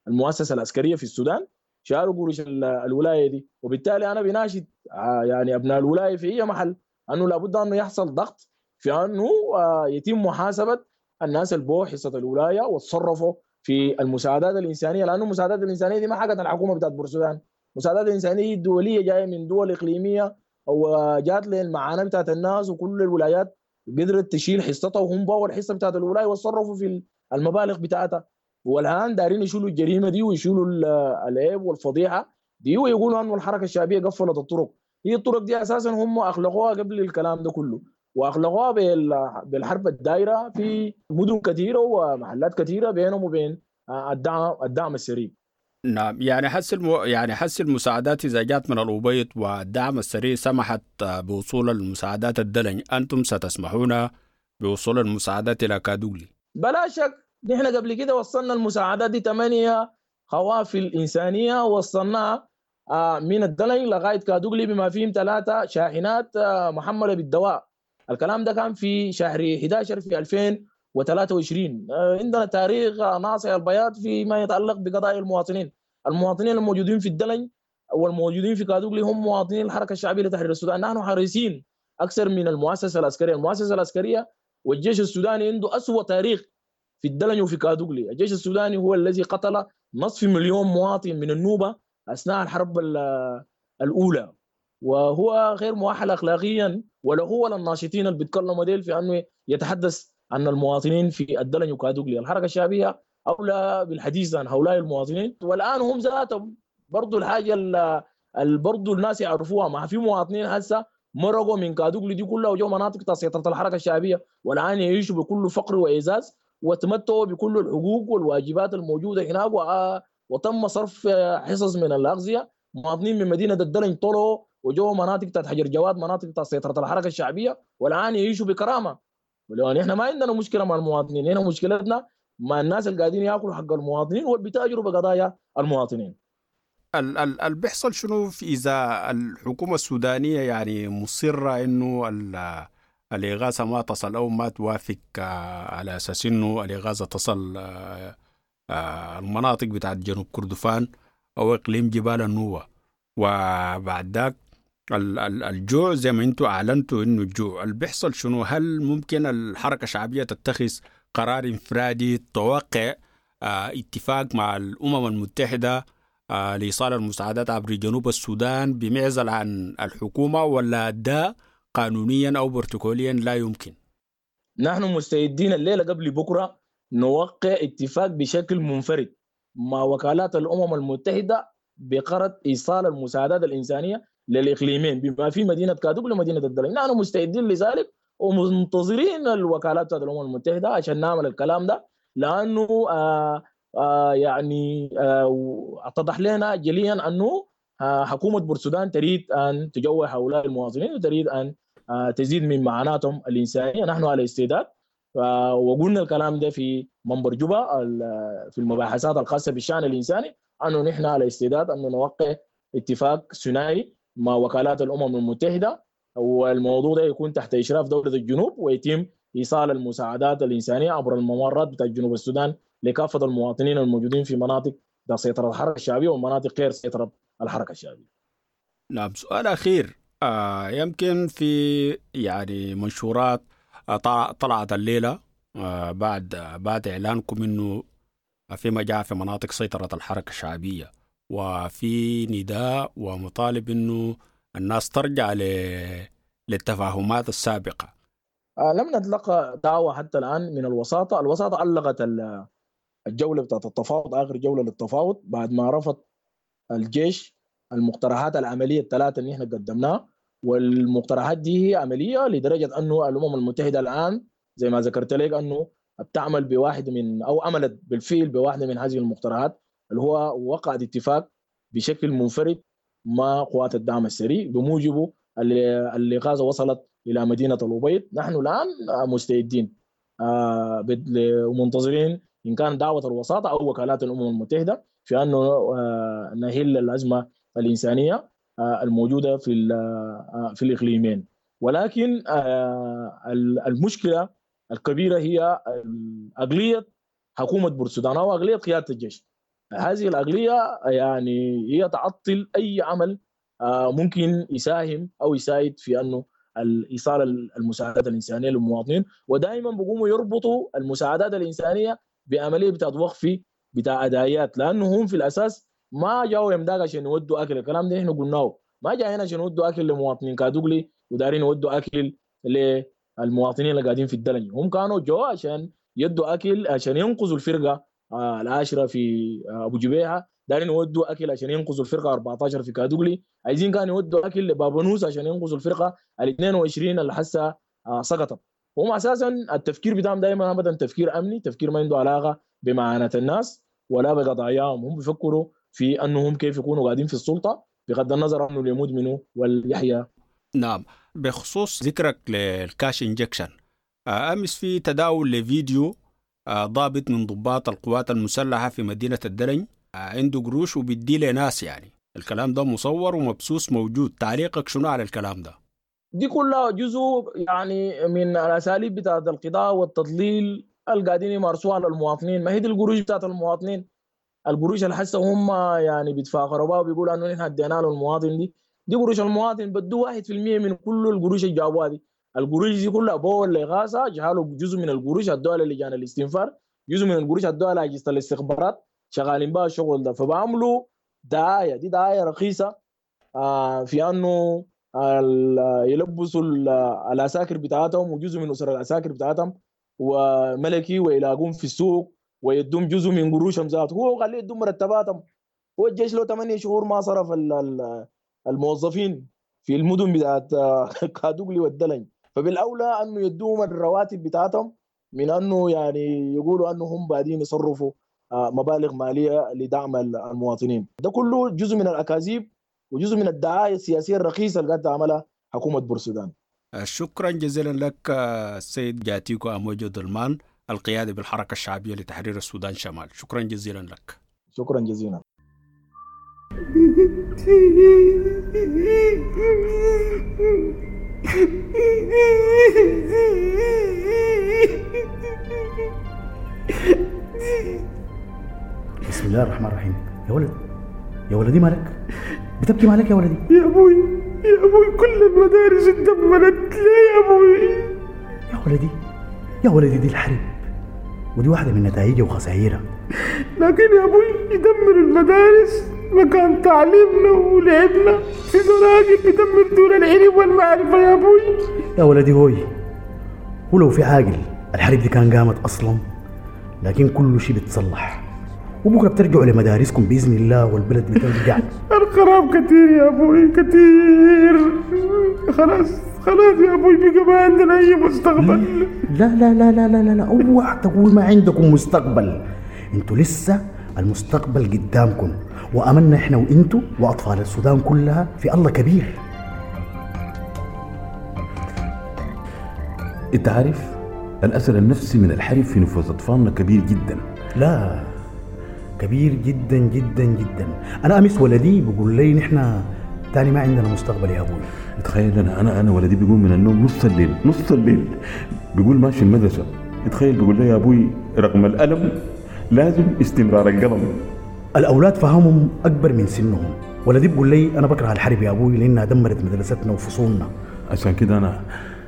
المؤسسة العسكرية في السودان، شالوا قروش الولاية دي. وبالتالي انا بناشد يعني ابناء الولاية في اي محل انه لابد انه يحصل ضغط في انه يتم محاسبه الناس اللي باعوا حصة الولاية وتصرفوا في المساعدات الانسانية، لانه المساعدات الانسانية دي ما حقت الحكومة بتاعت بورسودان، المساعدات الانسانية الدولية جاية من دول اقليمية او جات للمعاناه بتاعت الناس، وكل الولايات قدرت تشيل حصتها وهم باعوا الحصة بتاعت الولاية وتصرفوا في المبالغ بتاعتها. والان دارين يشيلوا الجريمة دي ويشيلوا العيب والفضيحة دي ويقولوا انه الحركة الشعبية قفلت الطرق. هي الطرق دي اساسا هم اخلقوها قبل الكلام ده كله، واخلقوها بالحرب الدائرة في مدن كثيرة ومحلات كثيرة بينهم وبين الدعم الدعم السريع. نعم، يعني حس المو... يعني حس المساعدات اذا جات من الأبيض والدعم السريع سمحت بوصول المساعدات الدلنج، انتم ستسمحون بوصول المساعدات الى كادوغلي؟ بلا شك، نحن قبل كده وصلنا المساعدات دي ثمانية قوافل إنسانية وصلناها من الدلنج لغاية كادوغلي بما فيهم ثلاثة شاحنات محملة بالدواء. الكلام ده كان في شهر أحد عشر في ألفين وثلاثة وعشرين. عندنا تاريخ ناصع البياض فيما يتعلق بقضايا المواطنين. المواطنين الموجودين في الدلنج والموجودين في كادوغلي هم مواطنين الحركة الشعبية لتحرير السودان. نحن حريصين أكثر من المؤسسة العسكرية. المؤسسة العسكرية والجيش السوداني عنده أسوأ تاريخ في الدلنج وفي كادوغلي. الجيش السوداني هو الذي قتل نصف مليون مواطن من النوبة أثناء الحرب الأولى، وهو غير مؤهل أخلاقيا ولا هو ولا الناشطين اللي بيتكلموا ديل في أنه يتحدث عن المواطنين في الدلنج وكادوغلي. الحركة الشعبية اولى بالحديث عن هؤلاء المواطنين. والان هم ذاتهم برضو الحاجة اللي برضو الناس يعرفوها، ما في مواطنين هسه مرقوا من كادوغلي دي كلها وجو مناطق سيطرة الحركة الشعبية، والان يعيشوا بكل فقر وإعزاز وتمتعوا بكل الحقوق والواجبات الموجودة هناك، وتم صرف حصص من الاغذية. مواطنين من مدينة الدلنج طلعوا وجو مناطق تحت حجر جواد، مناطق تحت سيطرة الحركة الشعبية، والان يعيشوا بكرامة. ولو احنا ما عندنا مشكلة مع المواطنين، هنا مشكلتنا مع الناس اللي قاعدين ياكلوا حق المواطنين والبيتاجروا بقضايا المواطنين. ال ال ال بيحصل شنو في اذا الحكومة السودانية يعني مصرة انه الاغاثة ما تصل او ما توافق على اساس انه الاغاثة تصل المناطق بتاعت جنوب كردفان او اقليم جبال النوبة، وبعد ذاك الجوع زي ما انتم اعلنتوا انه الجوع، اللي بيحصل شنو؟ هل ممكن الحركة الشعبية تتخذ قرار انفرادي توقع اتفاق مع الامم المتحدة لإيصال المساعدات عبر جنوب السودان بمعزل عن الحكومة، ولا ده قانونيا أو بروتوكوليا لا يمكن؟ نحن مستعدين الليلة قبل بكرة نوقع اتفاق بشكل منفرد مع وكالات الأمم المتحدة بقرض إيصال المساعدات الإنسانية للإقليمين بما في مدينة كادوغلي ومدينة الدلنج. نحن مستعدين لذلك ومنتظرين الوكالات الأمم المتحدة عشان نعمل الكلام ده، لأنه آه آه يعني آه اتضح لنا جليا انه آه حكومة بورسودان تريد ان تجوع هؤلاء المواطنين وتريد ان آه تزيد من معاناتهم الانسانية. نحن على استعداد، آه وقلنا الكلام ده في منبر جوبا في المباحثات الخاصة بالشان الانساني، انه نحن على استعداد ان نوقع اتفاق ثنائي مع وكالات الامم المتحدة، والموضوع ده يكون تحت اشراف دولة الجنوب، ويتم ايصال المساعدات الانسانية عبر الممرات بتاع جنوب السودان لكافة المواطنين الموجودين في مناطق سيطرة الحركة الشعبية ومناطق غير سيطرة الحركة الشعبية. نعم، سؤال أخير، آه يمكن في يعني منشورات آه طلعت الليلة آه بعد آه بعد إعلانكم إنه في مجاعة في مناطق سيطرة الحركة الشعبية، وفي نداء ومطالب إنه الناس ترجع للتفاهمات السابقة. آه لم نتلقى دعوة حتى الآن من الوساطة. الوساطة علقت الجولة بتاعت التفاوض، آخر جولة للتفاوض، بعد ما رفض الجيش المقترحات العملية الثلاثة اللي احنا قدمناها، والمقترحات دي هي عملية لدرجة أنه الأمم المتحدة الآن زي ما ذكرت لك أنه بتعمل بواحد من أو عملت بالفعل بواحدة من هذه المقترحات، اللي هو وقعت اتفاق بشكل منفرد مع قوات الدعم السريع بموجبه اللي غازة وصلت إلى مدينة الأبيض. نحن الآن مستعدين ومنتظرين إن كان دعوة الوساطة أو وكالات الأمم المتحدة في أنه نحل الأزمة الإنسانية الموجودة في في الإقليمين. ولكن المشكلة الكبيرة هي أقلية حكومة بورسودان أو أقلية قيادة الجيش. هذه الأقلية يعني هي تعطل أي عمل ممكن يساهم أو يساعد في أنه إيصال المساعدات الإنسانية للمواطنين، ودائما بيقوموا يربطوا المساعدات الإنسانية بعملية بتاعت وقف بتاع أدايات، لأنه هم في الأساس ما جاوا يمداك عشان يودوا أكل. الكلام ده إحنا قلناه، ما جايين عشان يودوا أكل لمواطنين كادوغلي ودارين يودوا أكل للمواطنين اللي قاعدين في الدلنج. هم كانوا جوا عشان يدوا أكل عشان ينقذوا الفرقة العاشرة في أبو جبيهة، دارين يودوا أكل عشان ينقذوا الفرقة أربعة عشر في كادوغلي، عايزين كانوا يودوا أكل لبابونوس عشان ينقذوا الفرقة ال اثنين وعشرين اللي حسه سقطت. هم أساسا التفكير بتاعهم دائما أبدا تفكير أمني، تفكير ما عنده علاقة بمعاناة الناس ولا بقضاياهم. هم بيفكروا في أنهم كيف يكونوا قاعدين في السلطة بغض النظر عنه اللي يموت منه واليحيى. نعم، بخصوص ذكرك لل cash injection، أمس في تداول لفيديو ضابط من ضباط القوات المسلحة في مدينة الدلنج عنده قروش وبيدي لناس، يعني الكلام ده مصور ومبسوس موجود. تعليقك شنو على الكلام ده؟ دي كلها جزء يعني من الأساليب بتاعت القضاء والتضليل اللي قاعدين يمارسوها على المواطنين. ما هي دي القروش بتاعت المواطنين، القروش اللي حسه هم يعني بيتفاخروا بها وبيقولوا انه نحن ادينا له المواطن، دي دي قروش المواطن. بدو واحد في المية من كل القروش اللي جابوها دي. القروش دي كلها بول الإغاثة جعلوا جزء من القروش ادوها للجان الاستنفار، جزء من القروش ادوها لاجهزة الاستخبارات، شغالين بها الشغل ده. فبعملوا دعاية، دي دعاية رخيصة آه في انه يلبسوا العساكر بتاعتهم وجزء من اسر العساكر بتاعتهم وملكي ويلاقون في السوق ويدوم جزء من قروشهم ذاته، هو قال يدوم مرتباتهم. هو الجيش له ثمانية شهور ما صرف الموظفين في المدن بتاعت كادوغلي والدلنج، فبالاولى انه يدوم الرواتب بتاعتهم من انه يعني يقولوا انه هم بعدين يصرفوا مبالغ ماليه لدعم المواطنين. ده كله جزء من الاكاذيب وجزء من الدعايه السياسيه الرخيصه اللي قاعده تعملها حكومه بورسودان. شكرا جزيلا لك السيد جاتيكو أموجو دلمان، القيادي بالحركة الشعبية لتحرير السودان شمال. شكرا جزيلا لك. شكرا جزيلا. بسم الله الرحمن الرحيم. يا ولد يا ولدي مالك بتبكي؟ مالك يا ولدي؟ يا ابوي يا ابوي كل المدارس اتدمرت ليه يا ابوي؟ يا ولدي يا ولدي دي الحرب، ودي واحدة من نتائجها وخسائرها. لكن يا ابوي يدمر المدارس مكان تعليمنا ولعبنا، في زراجل بيدمر دون العلم والمعرفة يا ابوي. يا ولدي هوي، ولو في عاقل الحرب دي كان قامت اصلا، لكن كل شيء بيتصلح، وبكره بترجعوا لمدارسكم باذن الله والبلد بترجع. الخراب كتير يا ابوي كتير، خلاص خلاص يا ابوي بقى ما عندنا اي مستقبل. لا لا لا لا لا لا, لا. اوعى تقول ما عندكم مستقبل، انتوا لسه المستقبل قدامكم، واملنا احنا وانتوا واطفال السودان كلها في الله كبير. انت عارف الاثر النفسي من الحرب في نفوس اطفالنا كبير جدا. لا كبير جدا جدا جدا. انا امس ولدي بيقول لي نحن تاني ما عندنا مستقبل يا ابوي. تخيل انا انا انا ولدي بيقوم من النوم نص الليل، نص الليل بيقول ماشي المدرسه. تخيل بيقول لي يا ابوي رغم الالم لازم استمرار القلم. الاولاد فهمهم اكبر من سنهم. ولدي بيقول لي انا بكره الحرب يا ابوي لانها دمرت مدرستنا وفصولنا. عشان كده انا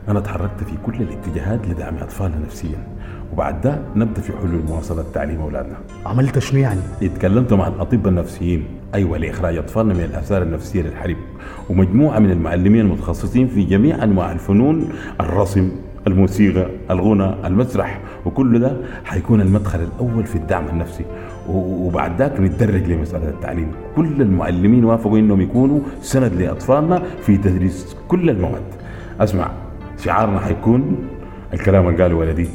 انا تحركت في كل الاتجاهات لدعم اطفالنا نفسيا، وبعد ده نبدا في حلول مواصله تعليم اولادنا. عملت شنو يعني؟ اتكلمت مع الاطباء النفسيين، ايوه، لاخراج اطفالنا من الاثار النفسيه للحرب، ومجموعه من المعلمين المتخصصين في جميع انواع الفنون، الرسم، الموسيقى، الغنى، المسرح، وكل ده حيكون المدخل الاول في الدعم النفسي، وبعد ذاك نتدرج لمساله التعليم. كل المعلمين وافقوا انهم يكونوا سند لاطفالنا في تدريس كل المواد. اسمع، شعارنا حيكون الكلام اللي قاله ولدي،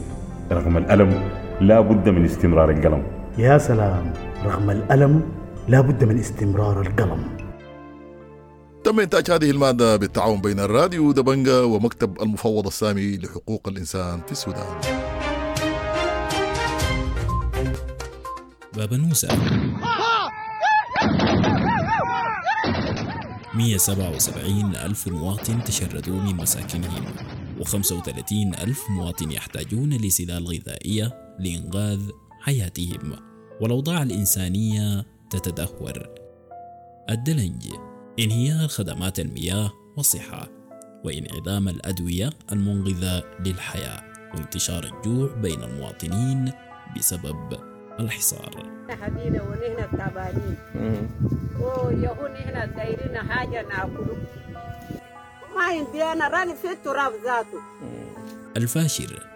رغم الألم لا بد من استمرار القلم. يا سلام، رغم الألم لا بد من استمرار القلم. تم إنتاج هذه المادة بالتعاون بين الراديو دبنجا ومكتب المفوض السامي لحقوق الإنسان في السودان. بابنوسة مئة وسبعة وسبعين ألف مواطن تشردوا من مساكنهم، وخمسة وثلاثين ألف مواطن يحتاجون لسلال غذائية لإنقاذ حياتهم، والأوضاع الإنسانية تتدهور. الدلنج، انهيار خدمات المياه والصحة، وانعدام الأدوية المنقذة للحياة، وانتشار الجوع بين المواطنين بسبب الحصار. حدينا ونحن تعبانين ويهون احنا دايرين حاجة ناكله، ما عندي أنا راني في التراب ذاته. الفاشر،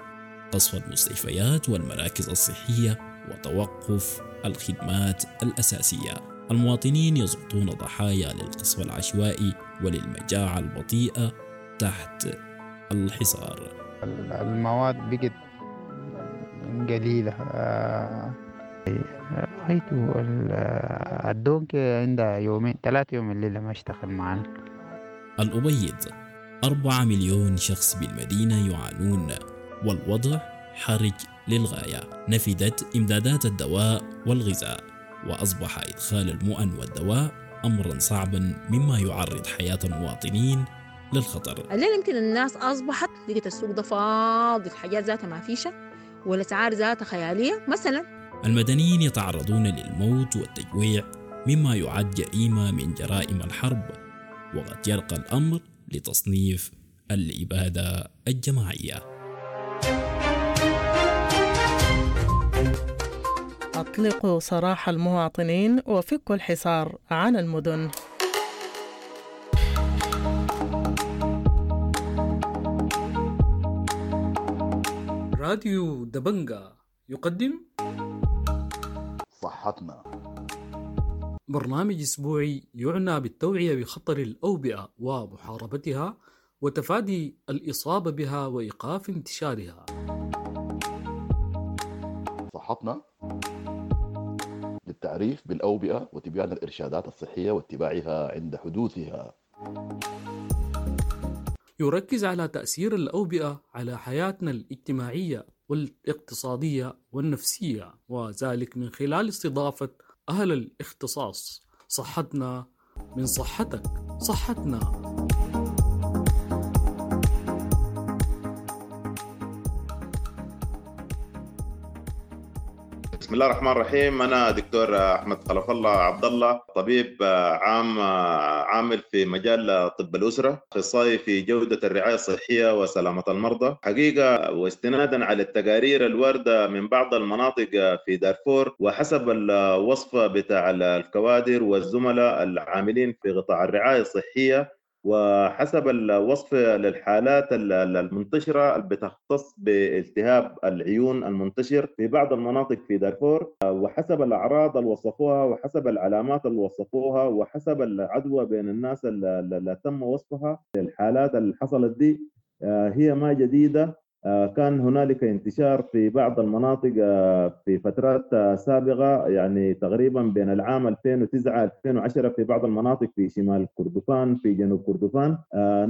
قصف المستشفيات والمراكز الصحية وتوقف الخدمات الأساسية. المواطنين يسقطون ضحايا للقصف العشوائي وللمجاعة البطيئة تحت الحصار. المواد بقت قليلة، غايته الدونك عندها يومين ثلاثة يوم الليلة ما اشتغل معنا. الأبيض، أربعة مليون شخص بالمدينة يعانون، والوضع حرج للغاية. نفدت إمدادات الدواء والغذاء، وأصبح إدخال المؤن والدواء أمرا صعبا، مما يعرض حياة المواطنين للخطر. الليلة يمكن الناس أصبحت لقيت السوق ده فاضي، الحاجات ذاتها ما فيشة والأسعار ذاتها خيالية مثلا. المدنيين يتعرضون للموت والتجويع، مما يعد جريمة من جرائم الحرب، وقد يرقى الأمر لتصنيف الإبادة الجماعية. أطلقوا سراح المواطنين وفكوا الحصار عن المدن. راديو دبنجا يقدم صحتنا، برنامج أسبوعي يعنى بالتوعية بخطر الأوبئة ومحاربتها وتفادي الإصابة بها وإيقاف انتشارها. صحتنا للتعريف بالأوبئة وتبيان الإرشادات الصحية واتباعها عند حدوثها. يركز على تأثير الأوبئة على حياتنا الاجتماعية والاقتصادية والنفسية، وذلك من خلال استضافة أهل الاختصاص. صحتنا من صحتك، صحتنا. بسم الله الرحمن الرحيم. أنا دكتور أحمد خلف الله عبد الله، طبيب عام عامل في مجال طب الأسرة، أخصائي في جودة الرعاية الصحية وسلامة المرضى. حقيقة واستنادا على التقارير الواردة من بعض المناطق في دارفور وحسب الوصف بتاع الكوادر والزملاء العاملين في قطاع الرعاية الصحية وحسب الوصف للحالات المنتشرة اللي بتختص بالتهاب العيون المنتشر في بعض المناطق في دارفور، وحسب الأعراض اللي وصفوها وحسب العلامات اللي وصفوها وحسب العدوى بين الناس اللي تم وصفها، الحالات اللي حصلت دي هي ما جديدة. كان هنالك انتشار في بعض المناطق في فترات سابقة، يعني تقريبا بين العام ألفين وتسعة ألفين وعشرة في بعض المناطق في شمال كردفان، في جنوب كردفان.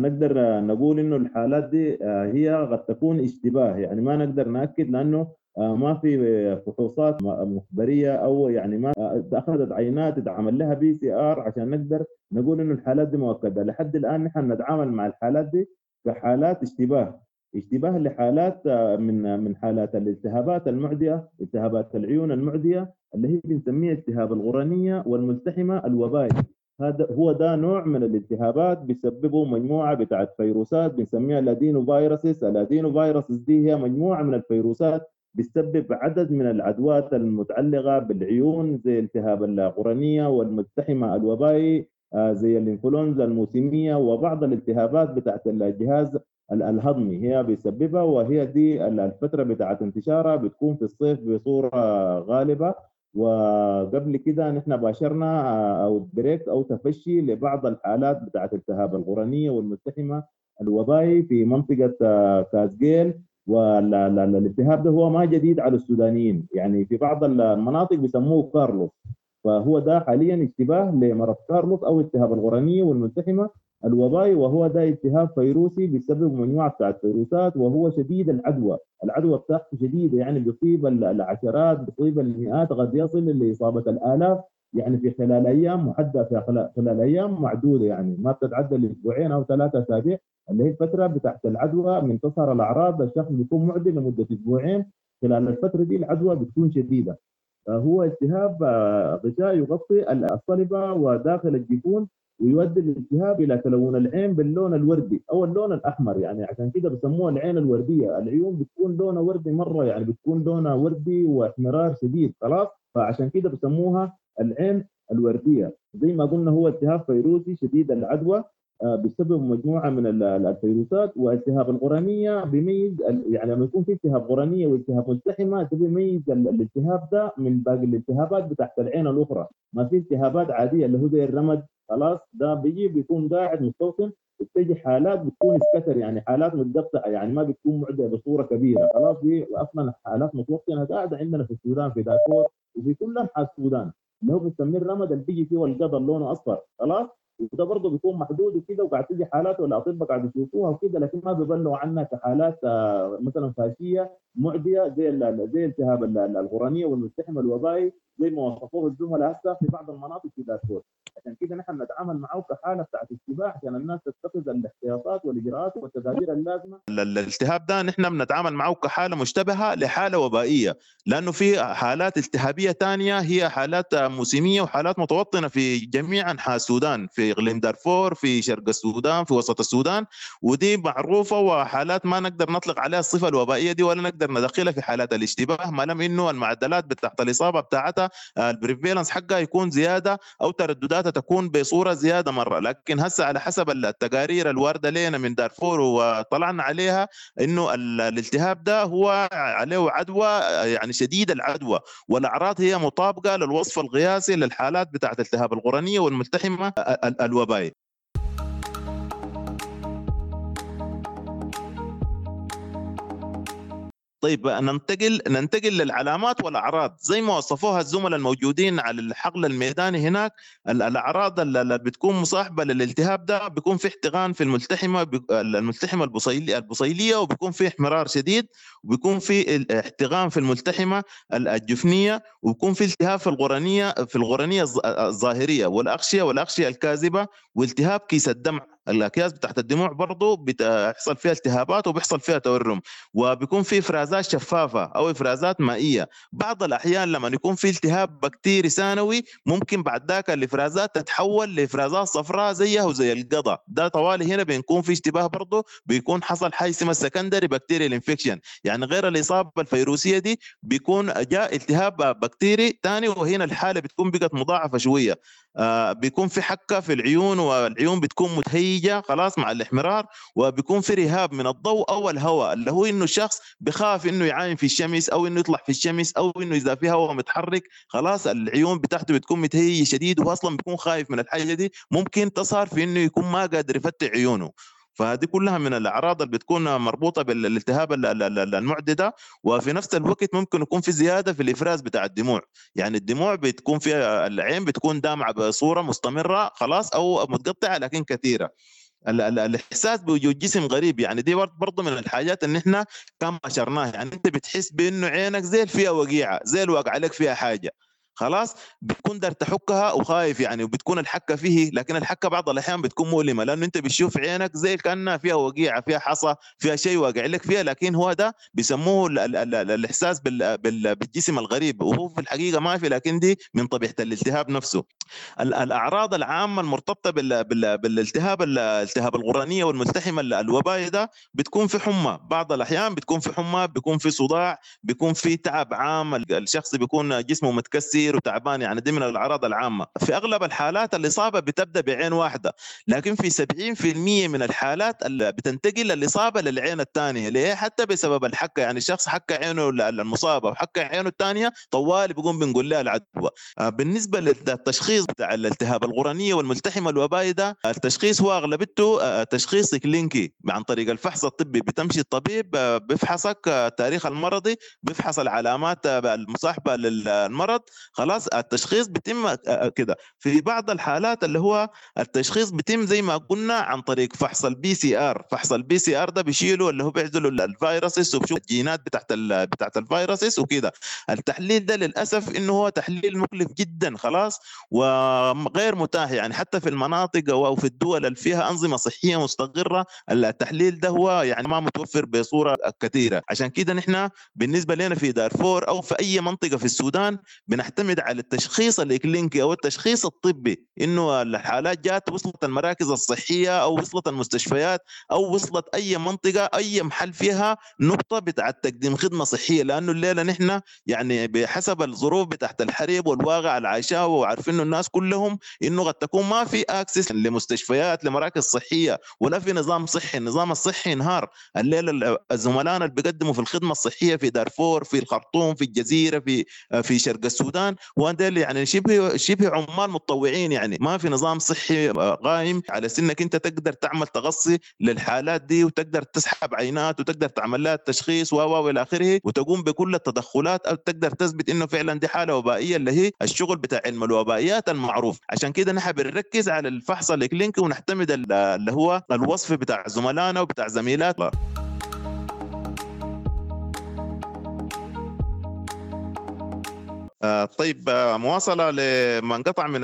نقدر نقول إنه الحالات دي هي قد تكون اشتباه، يعني ما نقدر نأكد لأنه ما في فحوصات مخبرية أو يعني ما أخذت عينات اتعمل لها PCR عشان نقدر نقول إنه الحالات دي مؤكدة. لحد الآن نحن نتعامل مع الحالات دي كحالات اشتباه، اشتباه لحالات من من حالات الالتهابات المعدية، التهابات العيون المعدية اللي هي بنسميها التهاب الغرنية والملتحمة الوبائي. هذا هو ده نوع من الالتهابات بيسببه مجموعة بتاعت فيروسات بنسميها ال adenoviruses. ال adenoviruses دي هي مجموعة من الفيروسات بتسبب عدد من العدوات المتعلقة بالعيون زي التهاب القرنية والملتحمة الوبائي، زي الانفلونزا الموسمية، وبعض الالتهابات بتاعت الجهاز الهضمي هي بيسببها. وهي دي الفترة بتاعت انتشارها بتكون في الصيف بصورة غالبة. وقبل كده نحن باشرنا outbreak أو تفشي لبعض الحالات بتاعت التهاب القرنية والملتحمة الوبائي في منطقة كازجيل. والالتهاب ده هو ما جديد على السودانيين، يعني في بعض المناطق بيسموه كارلوس، فهو ده حاليا اشتباه لمرض كارلوس أو التهاب القرنية والملتحمة الوبائي، وهو ده التهاب فيروسي بيسبب مجموعة بتاعت فيروسات، وهو شديد العدوى، العدوى بتاعته شديدة، يعني بيصيب العشرات، بيصيب المئات، قد يصل لإصابة الآلاف يعني في خلال أيام محددة، في خلال أيام معدودة، يعني ما بتتعدى الأسبوعين أو ثلاثة أسابيع اللي هي الفترة بتاعت العدوى. من تظهر الأعراض الشخص بيكون معدي لمدة أسبوعين، خلال الفترة دي العدوى بتكون شديدة. هو التهاب غشاء يغطي الصلبة وداخل الجفون، ويؤدي الالتهاب الى تلون العين باللون الوردي او اللون الاحمر، يعني عشان كده بسموها العين الوردية. العيون بتكون لونها وردي مرة، يعني بتكون لونها وردي واحمرار شديد خلاص، فعشان كده بسموها العين الوردية. زي ما قلنا هو التهاب فيروسي شديد العدوى بسبب مجموعة من الفيروسات. والتهاب القرنيه بيميز، يعني لما يكون في التهاب قرنيه والتهاب ملتحمه ده بيميز الالتهاب ده من باقي الالتهابات بتاعت العين الاخرى. ما في التهابات عادية اللي هو زي الرمد خلاص، ده بيجي بيكون قاعد مستوطن، وبتجي حالات بتكون سكتر، يعني حالات متقطعه، يعني ما بتكون معدية بصورة كبيرة خلاص. دي اصلا حالات متوطنه قاعدة عندنا في السودان، في دارفور وفي كل انحاء السودان، اللي هو بنسميه الرمد اللي بيجي فيه القضل لونه اصفر خلاص، وده برضه بيكون محدود وكده، وقاعد تيجي حالات والاطباء قاعد يشوفوها وكده، لكن ما بيبلغوا عنها كحالات مثلا فاشيه معدية زي زي التهاب القرنيه والملتحمه الوبائي زي ما وصفوه الزملاء هسه في بعض المناطق في دارفور. عشان كده نحن نتعامل معه كحاله بتاعت اشتباه عشان الناس تتخذ الاحتياطات والاجراءات والتدابير اللازمة. الالتهاب ده نحن بنتعامل معه كحاله مشتبهة لحاله وبائيه، لانه في حالات التهابيه ثانية هي حالات موسميه وحالات متوطنه في جميع انحاء السودان، في اقليم دارفور، في شرق السودان، في وسط السودان، ودي معروفة وحالات ما نقدر نطلق عليها الصفة الوبائيه دي ولا نقدر ندخلها في حالات الاشتباه، ما لم انه المعدلات بتاعت الاصابة بتاعتها ال prevalence حقها يكون زيادة او ترددات ذاتها تكون بصورة زيادة مرة. لكن هسه على حسب التقارير الواردة لنا من دارفور وطلعنا عليها انه الالتهاب ده هو عليه عدوى، يعني شديد العدوى، والاعراض هي مطابقه للوصف القياسي للحالات بتاعت التهاب القرنيه والملتحمه الوبائي. طيب ننتقل ننتقل للعلامات والاعراض زي ما وصفوها الزملاء الموجودين على الحقل الميداني هناك. الاعراض اللي بتكون مصاحبه للالتهاب ده بيكون في احتقان في الملتحمه الملتحمه البصيليه، وبيكون في احمرار شديد، وبيكون في احتقان في الملتحمه الجفنيه، وبيكون في التهاب في القرنيه في القرنيه الظاهرية والاغشيه والاغشيه الكاذبة، والتهاب كيس الدمع، الاكياس بتاعت الدموع برضه بتحصل فيها التهابات وبيحصل فيها تورم، وبيكون في افرازات شفافة او افرازات مائية. بعض الاحيان لما يكون في التهاب بكتيري ثانوي ممكن بعد ذاك الافرازات تتحول لافرازات صفراء زيها وزي القضاء ده. طوالي هنا بنكون في اشتباه برضه بيكون حصل حاجة اسمها secondary bacterial infection، يعني غير الاصابة الفيروسيه دي بيكون جاء التهاب بكتيري ثاني، وهنا الحالة بتكون بقت مضاعفه شوية. آه بيكون في حكه في العيون، والعيون بتكون متهيجه خلاص مع الاحمرار، وبيكون في رهاب من الضوء او الهواء، اللي هو انه الشخص بخاف انه يعاين في الشمس او انه يطلع في الشمس او انه اذا في هواء متحرك خلاص العيون بتاعته بتكون متهيجه شديد، وهو اصلا بيكون خايف من الحاجة دي، ممكن تظهر في انه يكون ما قادر يفتح عيونه. فهذه كلها من الاعراض اللي بتكون مربوطة بالالتهاب المعدي ده. وفي نفس الوقت ممكن يكون في زيادة في الافراز بتاع الدموع، يعني الدموع بتكون فيها العين بتكون دامعه بصورة مستمرة خلاص او متقطعه لكن كثيرة. الاحساس بوجود جسم غريب، يعني دي برضه من الحاجات ان احنا كان بشرناها، يعني انت بتحس بانه عينك زي فيها وقيعه، زي الواقع عليك فيها حاجة خلاص، بتكون دار تحكها وخايف يعني، وبتكون الحكة فيه، لكن الحكة بعض الاحيان بتكون مؤلمة لانه انت بتشوف عينك زي كانها فيها وقيعه، فيها حصى، فيها شيء واقع لك فيها، لكن هو ده بيسموه ال ال ال الاحساس بال بال بالجسم الغريب، وهو في الحقيقة ما في، لكن دي من طبيعة الالتهاب نفسه. الاعراض العامة المرتبطة بال بال بالالتهاب الالتهاب القرنيه والملتحمه الوبائي ده بتكون في حمى، بعض الاحيان بتكون في حمى، بيكون في صداع، بيكون في تعب عام، الشخص بيكون جسمه متكسر وتعبان، يعني دي من الاعراض العامة. في اغلب الحالات الاصابة بتبدا بعين واحدة، لكن في سبعين بالمئة من الحالات اللي بتنتقل الاصابة للعين الثانية. ليه؟ حتى بسبب الحكة، يعني الشخص حك عينه المصابة وحك عينه الثانية طوال بيقوم بنقول لها العدوى. بالنسبة للتشخيص بتاع الالتهاب القرنيه والملتحمه الوبائي ده، التشخيص هو اغلبيته تشخيص كلينيكي عن طريق الفحص الطبي. بتمشي الطبيب بيفحصك التاريخ المرضي، بيفحص العلامات المصاحبة للمرض، خلاص التشخيص بيتم كده. في بعض الحالات اللي هو التشخيص بيتم زي ما قلنا عن طريق فحص ال PCR. فحص ال PCR ده بيشيلوا اللي هو بيعزلوا ال viruses وبشوف الجينات بتاعت بتاعت ال viruses وكده. التحليل ده للاسف انه هو تحليل مكلف جدا خلاص وغير متاح، يعني حتى في المناطق او في الدول اللي فيها انظمة صحية مستقره التحليل ده هو يعني ما متوفر بصورة كثيرة. عشان كده نحن بالنسبة لنا في دارفور او في اي منطقة في السودان بنعتمد على التشخيص الإكلينيكي او التشخيص الطبي، انه الحالات جات وصلت المراكز الصحية او وصلت المستشفيات او وصلت اي منطقة اي محل فيها نقطة بتاعت تقديم خدمة صحية. لانه الليلة نحن يعني بحسب الظروف بتاعت الحرب والواقع العايشاه وعارفين انه الناس كلهم انه قد تكون ما في access لمستشفيات لمراكز صحية ولا في نظام صحي. النظام الصحي انهار الليلة. الزملاء اللي بيقدموا في الخدمة الصحية في دارفور، في الخرطوم، في الجزيرة، في في شرق السودان، وهذول يعني شبه شبه عمال متطوعين، يعني ما في نظام صحي قائم على سنك انت تقدر تعمل تغصي للحالات دي وتقدر تسحب عينات وتقدر تعمل لها التشخيص و و الى اخره وتقوم بكل التدخلات او تقدر تثبت انه فعلا دي حاله وبائيه اللي هي الشغل بتاع علم الوبائيات المعروف. عشان كده نحن بنركز على الفحص الكلينيكي ونعتمد اللي هو الوصف بتاع زملائنا وبتاع زميلاتنا. طيب، مواصلة لما انقطع من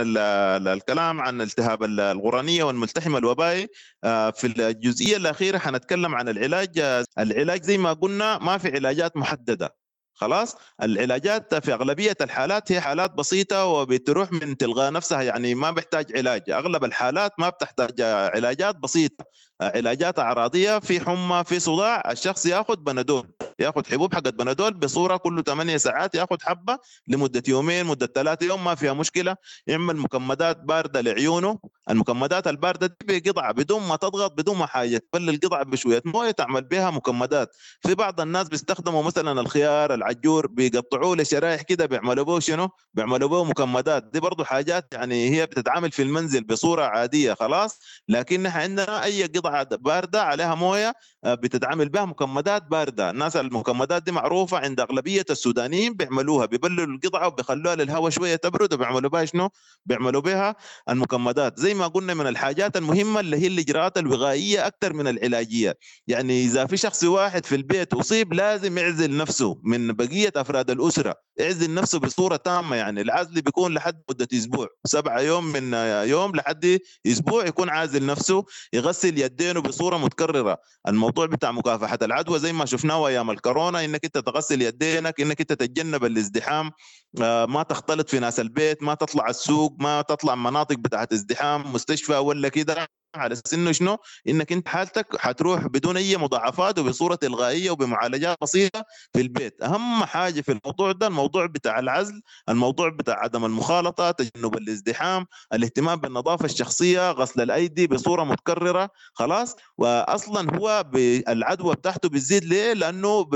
الكلام عن التهاب الغرانية والملتحمة الوبائي. في الجزئية الأخيرة حنتكلم عن العلاج. العلاج زي ما قلنا ما في علاجات محددة خلاص العلاجات في اغلبية الحالات هي حالات بسيطة وبتروح من تلقاء نفسها، يعني ما بيحتاج علاج. اغلب الحالات ما بتحتاج علاجات بسيطة، علاجات اعراضيه، في حمى، في صداع، الشخص ياخذ بنادول، ياخذ حبوب حقت بنادول بصورة كل ثمانية ساعات، ياخذ حبه لمدة يومين، مده ثلاثة يوم، ما فيها مشكلة. يعمل مكمدات باردة لعيونه، المكمدات البارده دي بقطعه بدون ما تضغط، بدون ما حاجة، تبل القطعة بشوية مويه تعمل بها مكمدات. في بعض الناس بيستخدموا مثلا الخيار، العجور، بيقطعوه لشرائح كده، بيعملوا به شنو؟ بيعملوا به مكمدات. دي برضه حاجات يعني هي بتتعامل في المنزل بصورة عادية خلاص، لكن نحن عندنا اي قطعه باردة عليها مويه بتتعامل بها مكمدات باردة. الناس المكمدات دي معروفة عند اغلبية السودانيين، بيعملوها، بيبللوا القطعة وبيخلوها للهواء شوية تبرد، وبيعملوا بها شنو؟ بيعملوا بها المكمدات. زي ما قلنا من الحاجات المهمة اللي هي الاجراءات الوقائية اكثر من العلاجية. يعني اذا في شخص واحد في البيت اصيب لازم يعزل نفسه من بقية افراد الاسرة، يعزل نفسه بصورة تامة. يعني العزل بيكون لحد مده اسبوع، سبعة يوم من يوم لحد اسبوع يكون عازل نفسه، يغسل يدينه بصورة متكررة. الموضوع بتاع مكافحة العدوى زي ما شفناه ايام الكورونا، انك انت تغسل يدينك، انك انت تتجنب الازدحام، ما تختلط في ناس البيت، ما تطلع السوق، ما تطلع مناطق بتاعت ازدحام، مستشفى ولا كده، على سنة شنو؟ انك انت حالتك حتروح بدون اي مضاعفات وبصورة تلقائية وبمعالجات بسيطة في البيت. اهم حاجة في الموضوع ده الموضوع بتاع العزل، الموضوع بتاع عدم المخالطه، تجنب الازدحام، الاهتمام بالنظافة الشخصية، غسل الايدي بصورة متكررة خلاص. واصلا هو العدوى بتاعته بتزيد ليه؟ لانه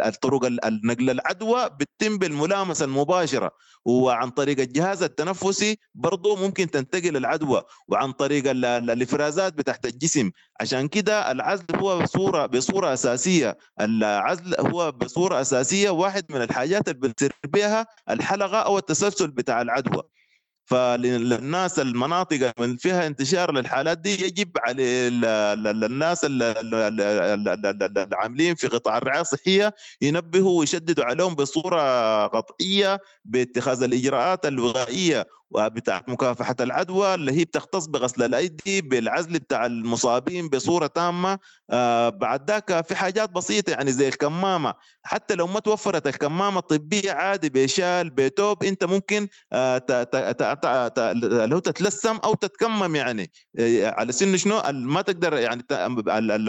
الطرق النقل العدوى بتتم بالملامسه المباشرة، وعن طريق الجهاز التنفسي برضه ممكن تنتقل العدوى، وعن طريق الافرازات بتاعت الجسم. عشان كده العزل هو بصورة بصورة اساسية، العزل هو بصورة اساسية واحد من الحاجات اللي بتصير بها الحلقة او التسلسل بتاع العدوى. فللناس المناطق اللي فيها انتشار للحالات دي يجب على الناس العاملين في قطاع الرعاية الصحية ينبهوا ويشددوا عليهم بصورة قطعية باتخاذ الاجراءات الوقائية وبتاع مكافحة العدوى اللي هي بتختص بغسل الايدي، بالعزل بتاع المصابين بصورة تامة. آه بعد ذاك في حاجات بسيطة يعني زي الكمامة، حتى لو ما توفرت الكمامة الطبية عادي بشال بتوب انت ممكن آه لو تتلسم او تتكمم، يعني على سن شنو ما تقدر. يعني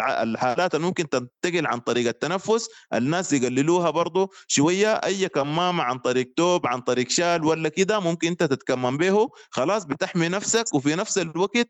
الحالات اللي ممكن تنتقل عن طريق التنفس الناس يقللوها برضو شوية. اي كمامه عن طريق توب، عن طريق شال ولا كده ممكن انت تتكمم به خلاص، بتحمي نفسك، وفي نفس الوقت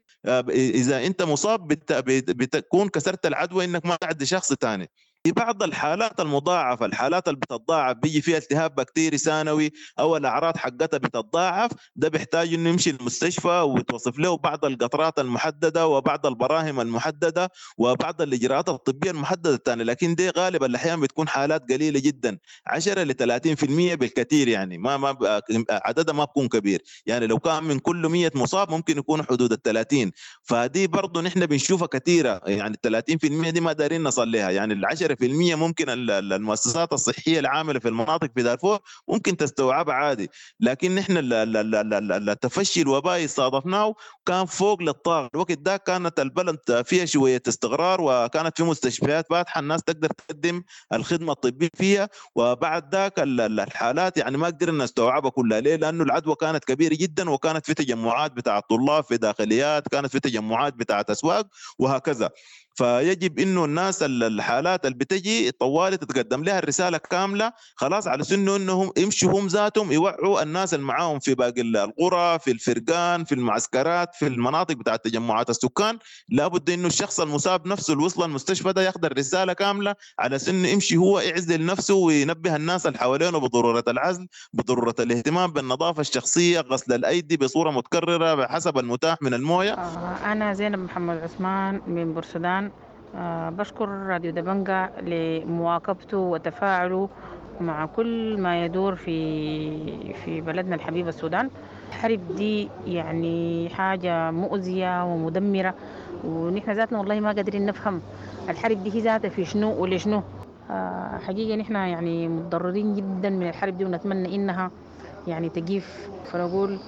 اذا انت مصاب بتكون كسرت العدوى انك ما تعدي شخص ثاني. في بعض الحالات المضاعفة، الحالات اللي بتتضاعف بيجي فيها التهاب بكتيري ثانوي أو الأعراض حقتها بتتضاعف، ده بيحتاج إنه يمشي المستشفى وتوصف له بعض القطرات المحددة وبعض البراهم المحددة وبعض الإجراءات الطبية المحددة الثانية. لكن دي غالبا الأحيان بتكون حالات قليلة جدا، عشرة ل ثلاثين بالمئة بالكثير، يعني ما ما عددها ما بكون كبير. يعني لو كان من كل مئة مصاب ممكن يكون حدود ال ثلاثين، فدي برضه نحن بنشوفها كثيرة. يعني ثلاثين بالمئة دي ما دارين نصل لها، يعني العشرة في المية ممكن المؤسسات الصحية العاملة في المناطق في دارفور ممكن تستوعبها عادي. لكن نحن التفشي الوبائي صادفناه كان فوق للطاقة. الوقت ده كانت البلد فيها شوية استقرار، وكانت في مستشفيات فاتحة الناس تقدر تقدم الخدمة الطبية فيها، وبعد ذاك الحالات يعني ما قدرنا نستوعبها كلها. ليه؟ لأنه العدوى كانت كبيرة جدا، وكانت في تجمعات بتاع الطلاب في داخليات، كانت في تجمعات بتاعة أسواق وهكذا. فيجب انه الناس الحالات اللي بتجي طوالي تتقدم لها الرسالة كاملة خلاص، على سنة انهم يمشوا هم ذاتهم يوعوا الناس اللي معاهم في باقي القرى، في الفرقان، في المعسكرات، في المناطق بتاعت تجمعات السكان. لابد انه الشخص المصاب نفسه اللي وصل المستشفى ده ياخذ الرسالة كاملة على سنة يمشي هو يعزل نفسه وينبه الناس اللي حوالينه بضرورة العزل، بضرورة الاهتمام بالنظافة الشخصية، غسل الايدي بصورة متكررة بحسب المتاح من المويه. انا زينب محمد عثمان من بورسودان. أه بشكر راديو دبنجا لمواكبته وتفاعله مع كل ما يدور في في بلدنا الحبيب السودان. الحرب دي يعني حاجة مؤذية ومدمرة، ونحن ذاتنا والله ما قادرين نفهم الحرب دي هي ذاتها في شنو ولشنو. أه حقيقة نحن يعني متضررين جدا من الحرب دي، ونتمنى إنها يعني تقيف، فنقول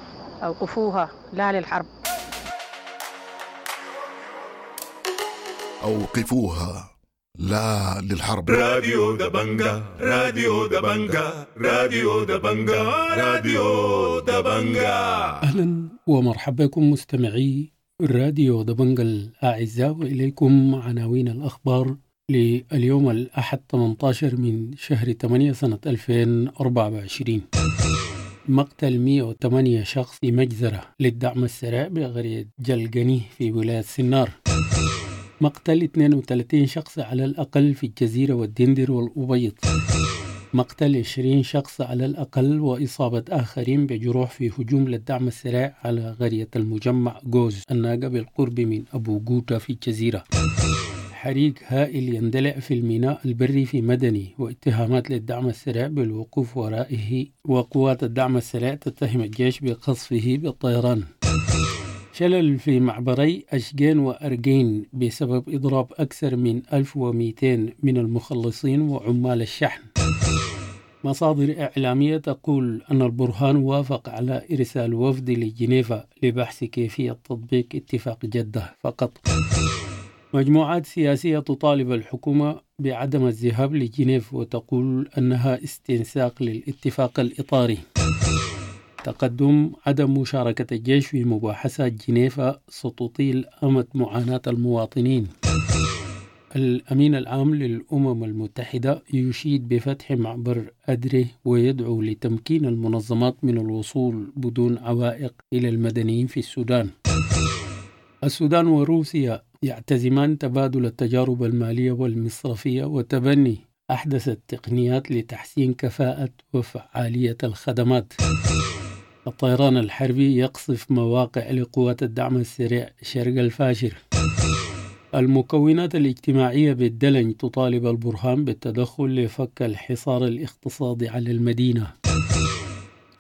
أوقفوها، لا للحرب. أوقفوها لا للحرب. راديو دبنجا، راديو دبنجا، راديو دبنجا، راديو دبنجا. أهلا ومرحبا بكم مستمعي راديو دبنجا الأعزاء، وإليكم عناوين الأخبار لليوم الأحد ثمانية عشر من شهر ثمانية سنة ألفين وأربعة وعشرين. مقتل مئة وثمانية شخص في مجزرة للدعم السريع بقرية جلقني في ولاية سنار. مقتل اثنين وثلاثين شخص على الأقل في الجزيرة والدندر والأبيض. مقتل عشرين شخص على الأقل وإصابة آخرين بجروح في هجوم للدعم السريع على قرية المجمع جوز الناقة بالقرب من أبو جوتا في الجزيرة. حريق هائل يندلع في الميناء البري في مدني، واتهامات للدعم السريع بالوقوف ورائه، وقوات الدعم السريع تتهم الجيش بقصفه بالطيران. شلل في معبري أشجين وأرجين بسبب إضراب أكثر من ألف ومئتين من المخلصين وعمال الشحن. مصادر إعلامية تقول أن البرهان وافق على إرسال وفد لجنيفا لبحث كيفية تطبيق اتفاق جدة فقط. مجموعات سياسية تطالب الحكومة بعدم الذهاب لجنيف وتقول أنها استنساق للاتفاق الإطاري. تقدم عدم مشاركة الجيش في مباحثات جنيفا ستطيل أمد معاناة المواطنين. الأمين العام للأمم المتحدة يشيد بفتح معبر أدري ويدعو لتمكين المنظمات من الوصول بدون عوائق إلى المدنيين في السودان. السودان وروسيا يعتزمان تبادل التجارب المالية والمصرفية وتبني أحدث التقنيات لتحسين كفاءة وفعالية الخدمات. الطيران الحربي يقصف مواقع لقوات الدعم السريع شرق الفاشر. المكونات الاجتماعية بالدلنج تطالب البرهان بالتدخل لفك الحصار الاقتصادي على المدينة.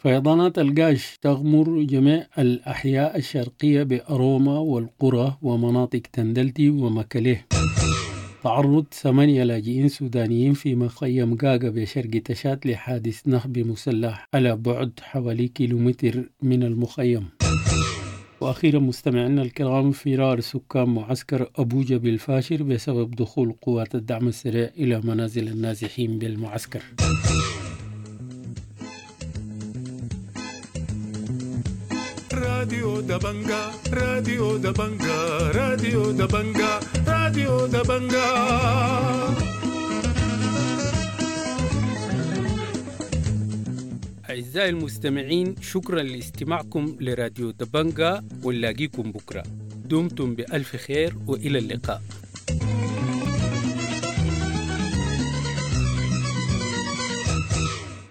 فيضانات القاش تغمر جميع الأحياء الشرقية بأروما والقرى ومناطق تندلتي ومكليه. تعرض ثمانية لاجئين سودانيين في مخيم غاغا بشرق تشاد لحادث نهب مسلح على بعد حوالي كيلومتر من المخيم. وأخيرا مستمعينا الكرام، فرار سكان معسكر أبوجا بالفاشر بسبب دخول قوات الدعم السريع إلى منازل النازحين بالمعسكر. راديو دبنجا، راديو دبنجا، راديو دبنجا، راديو دبنجا. أعزائي المستمعين، شكرا لاستماعكم لراديو دبنجا، ونلاقيكم بكرة. دمتم بألف خير وإلى اللقاء.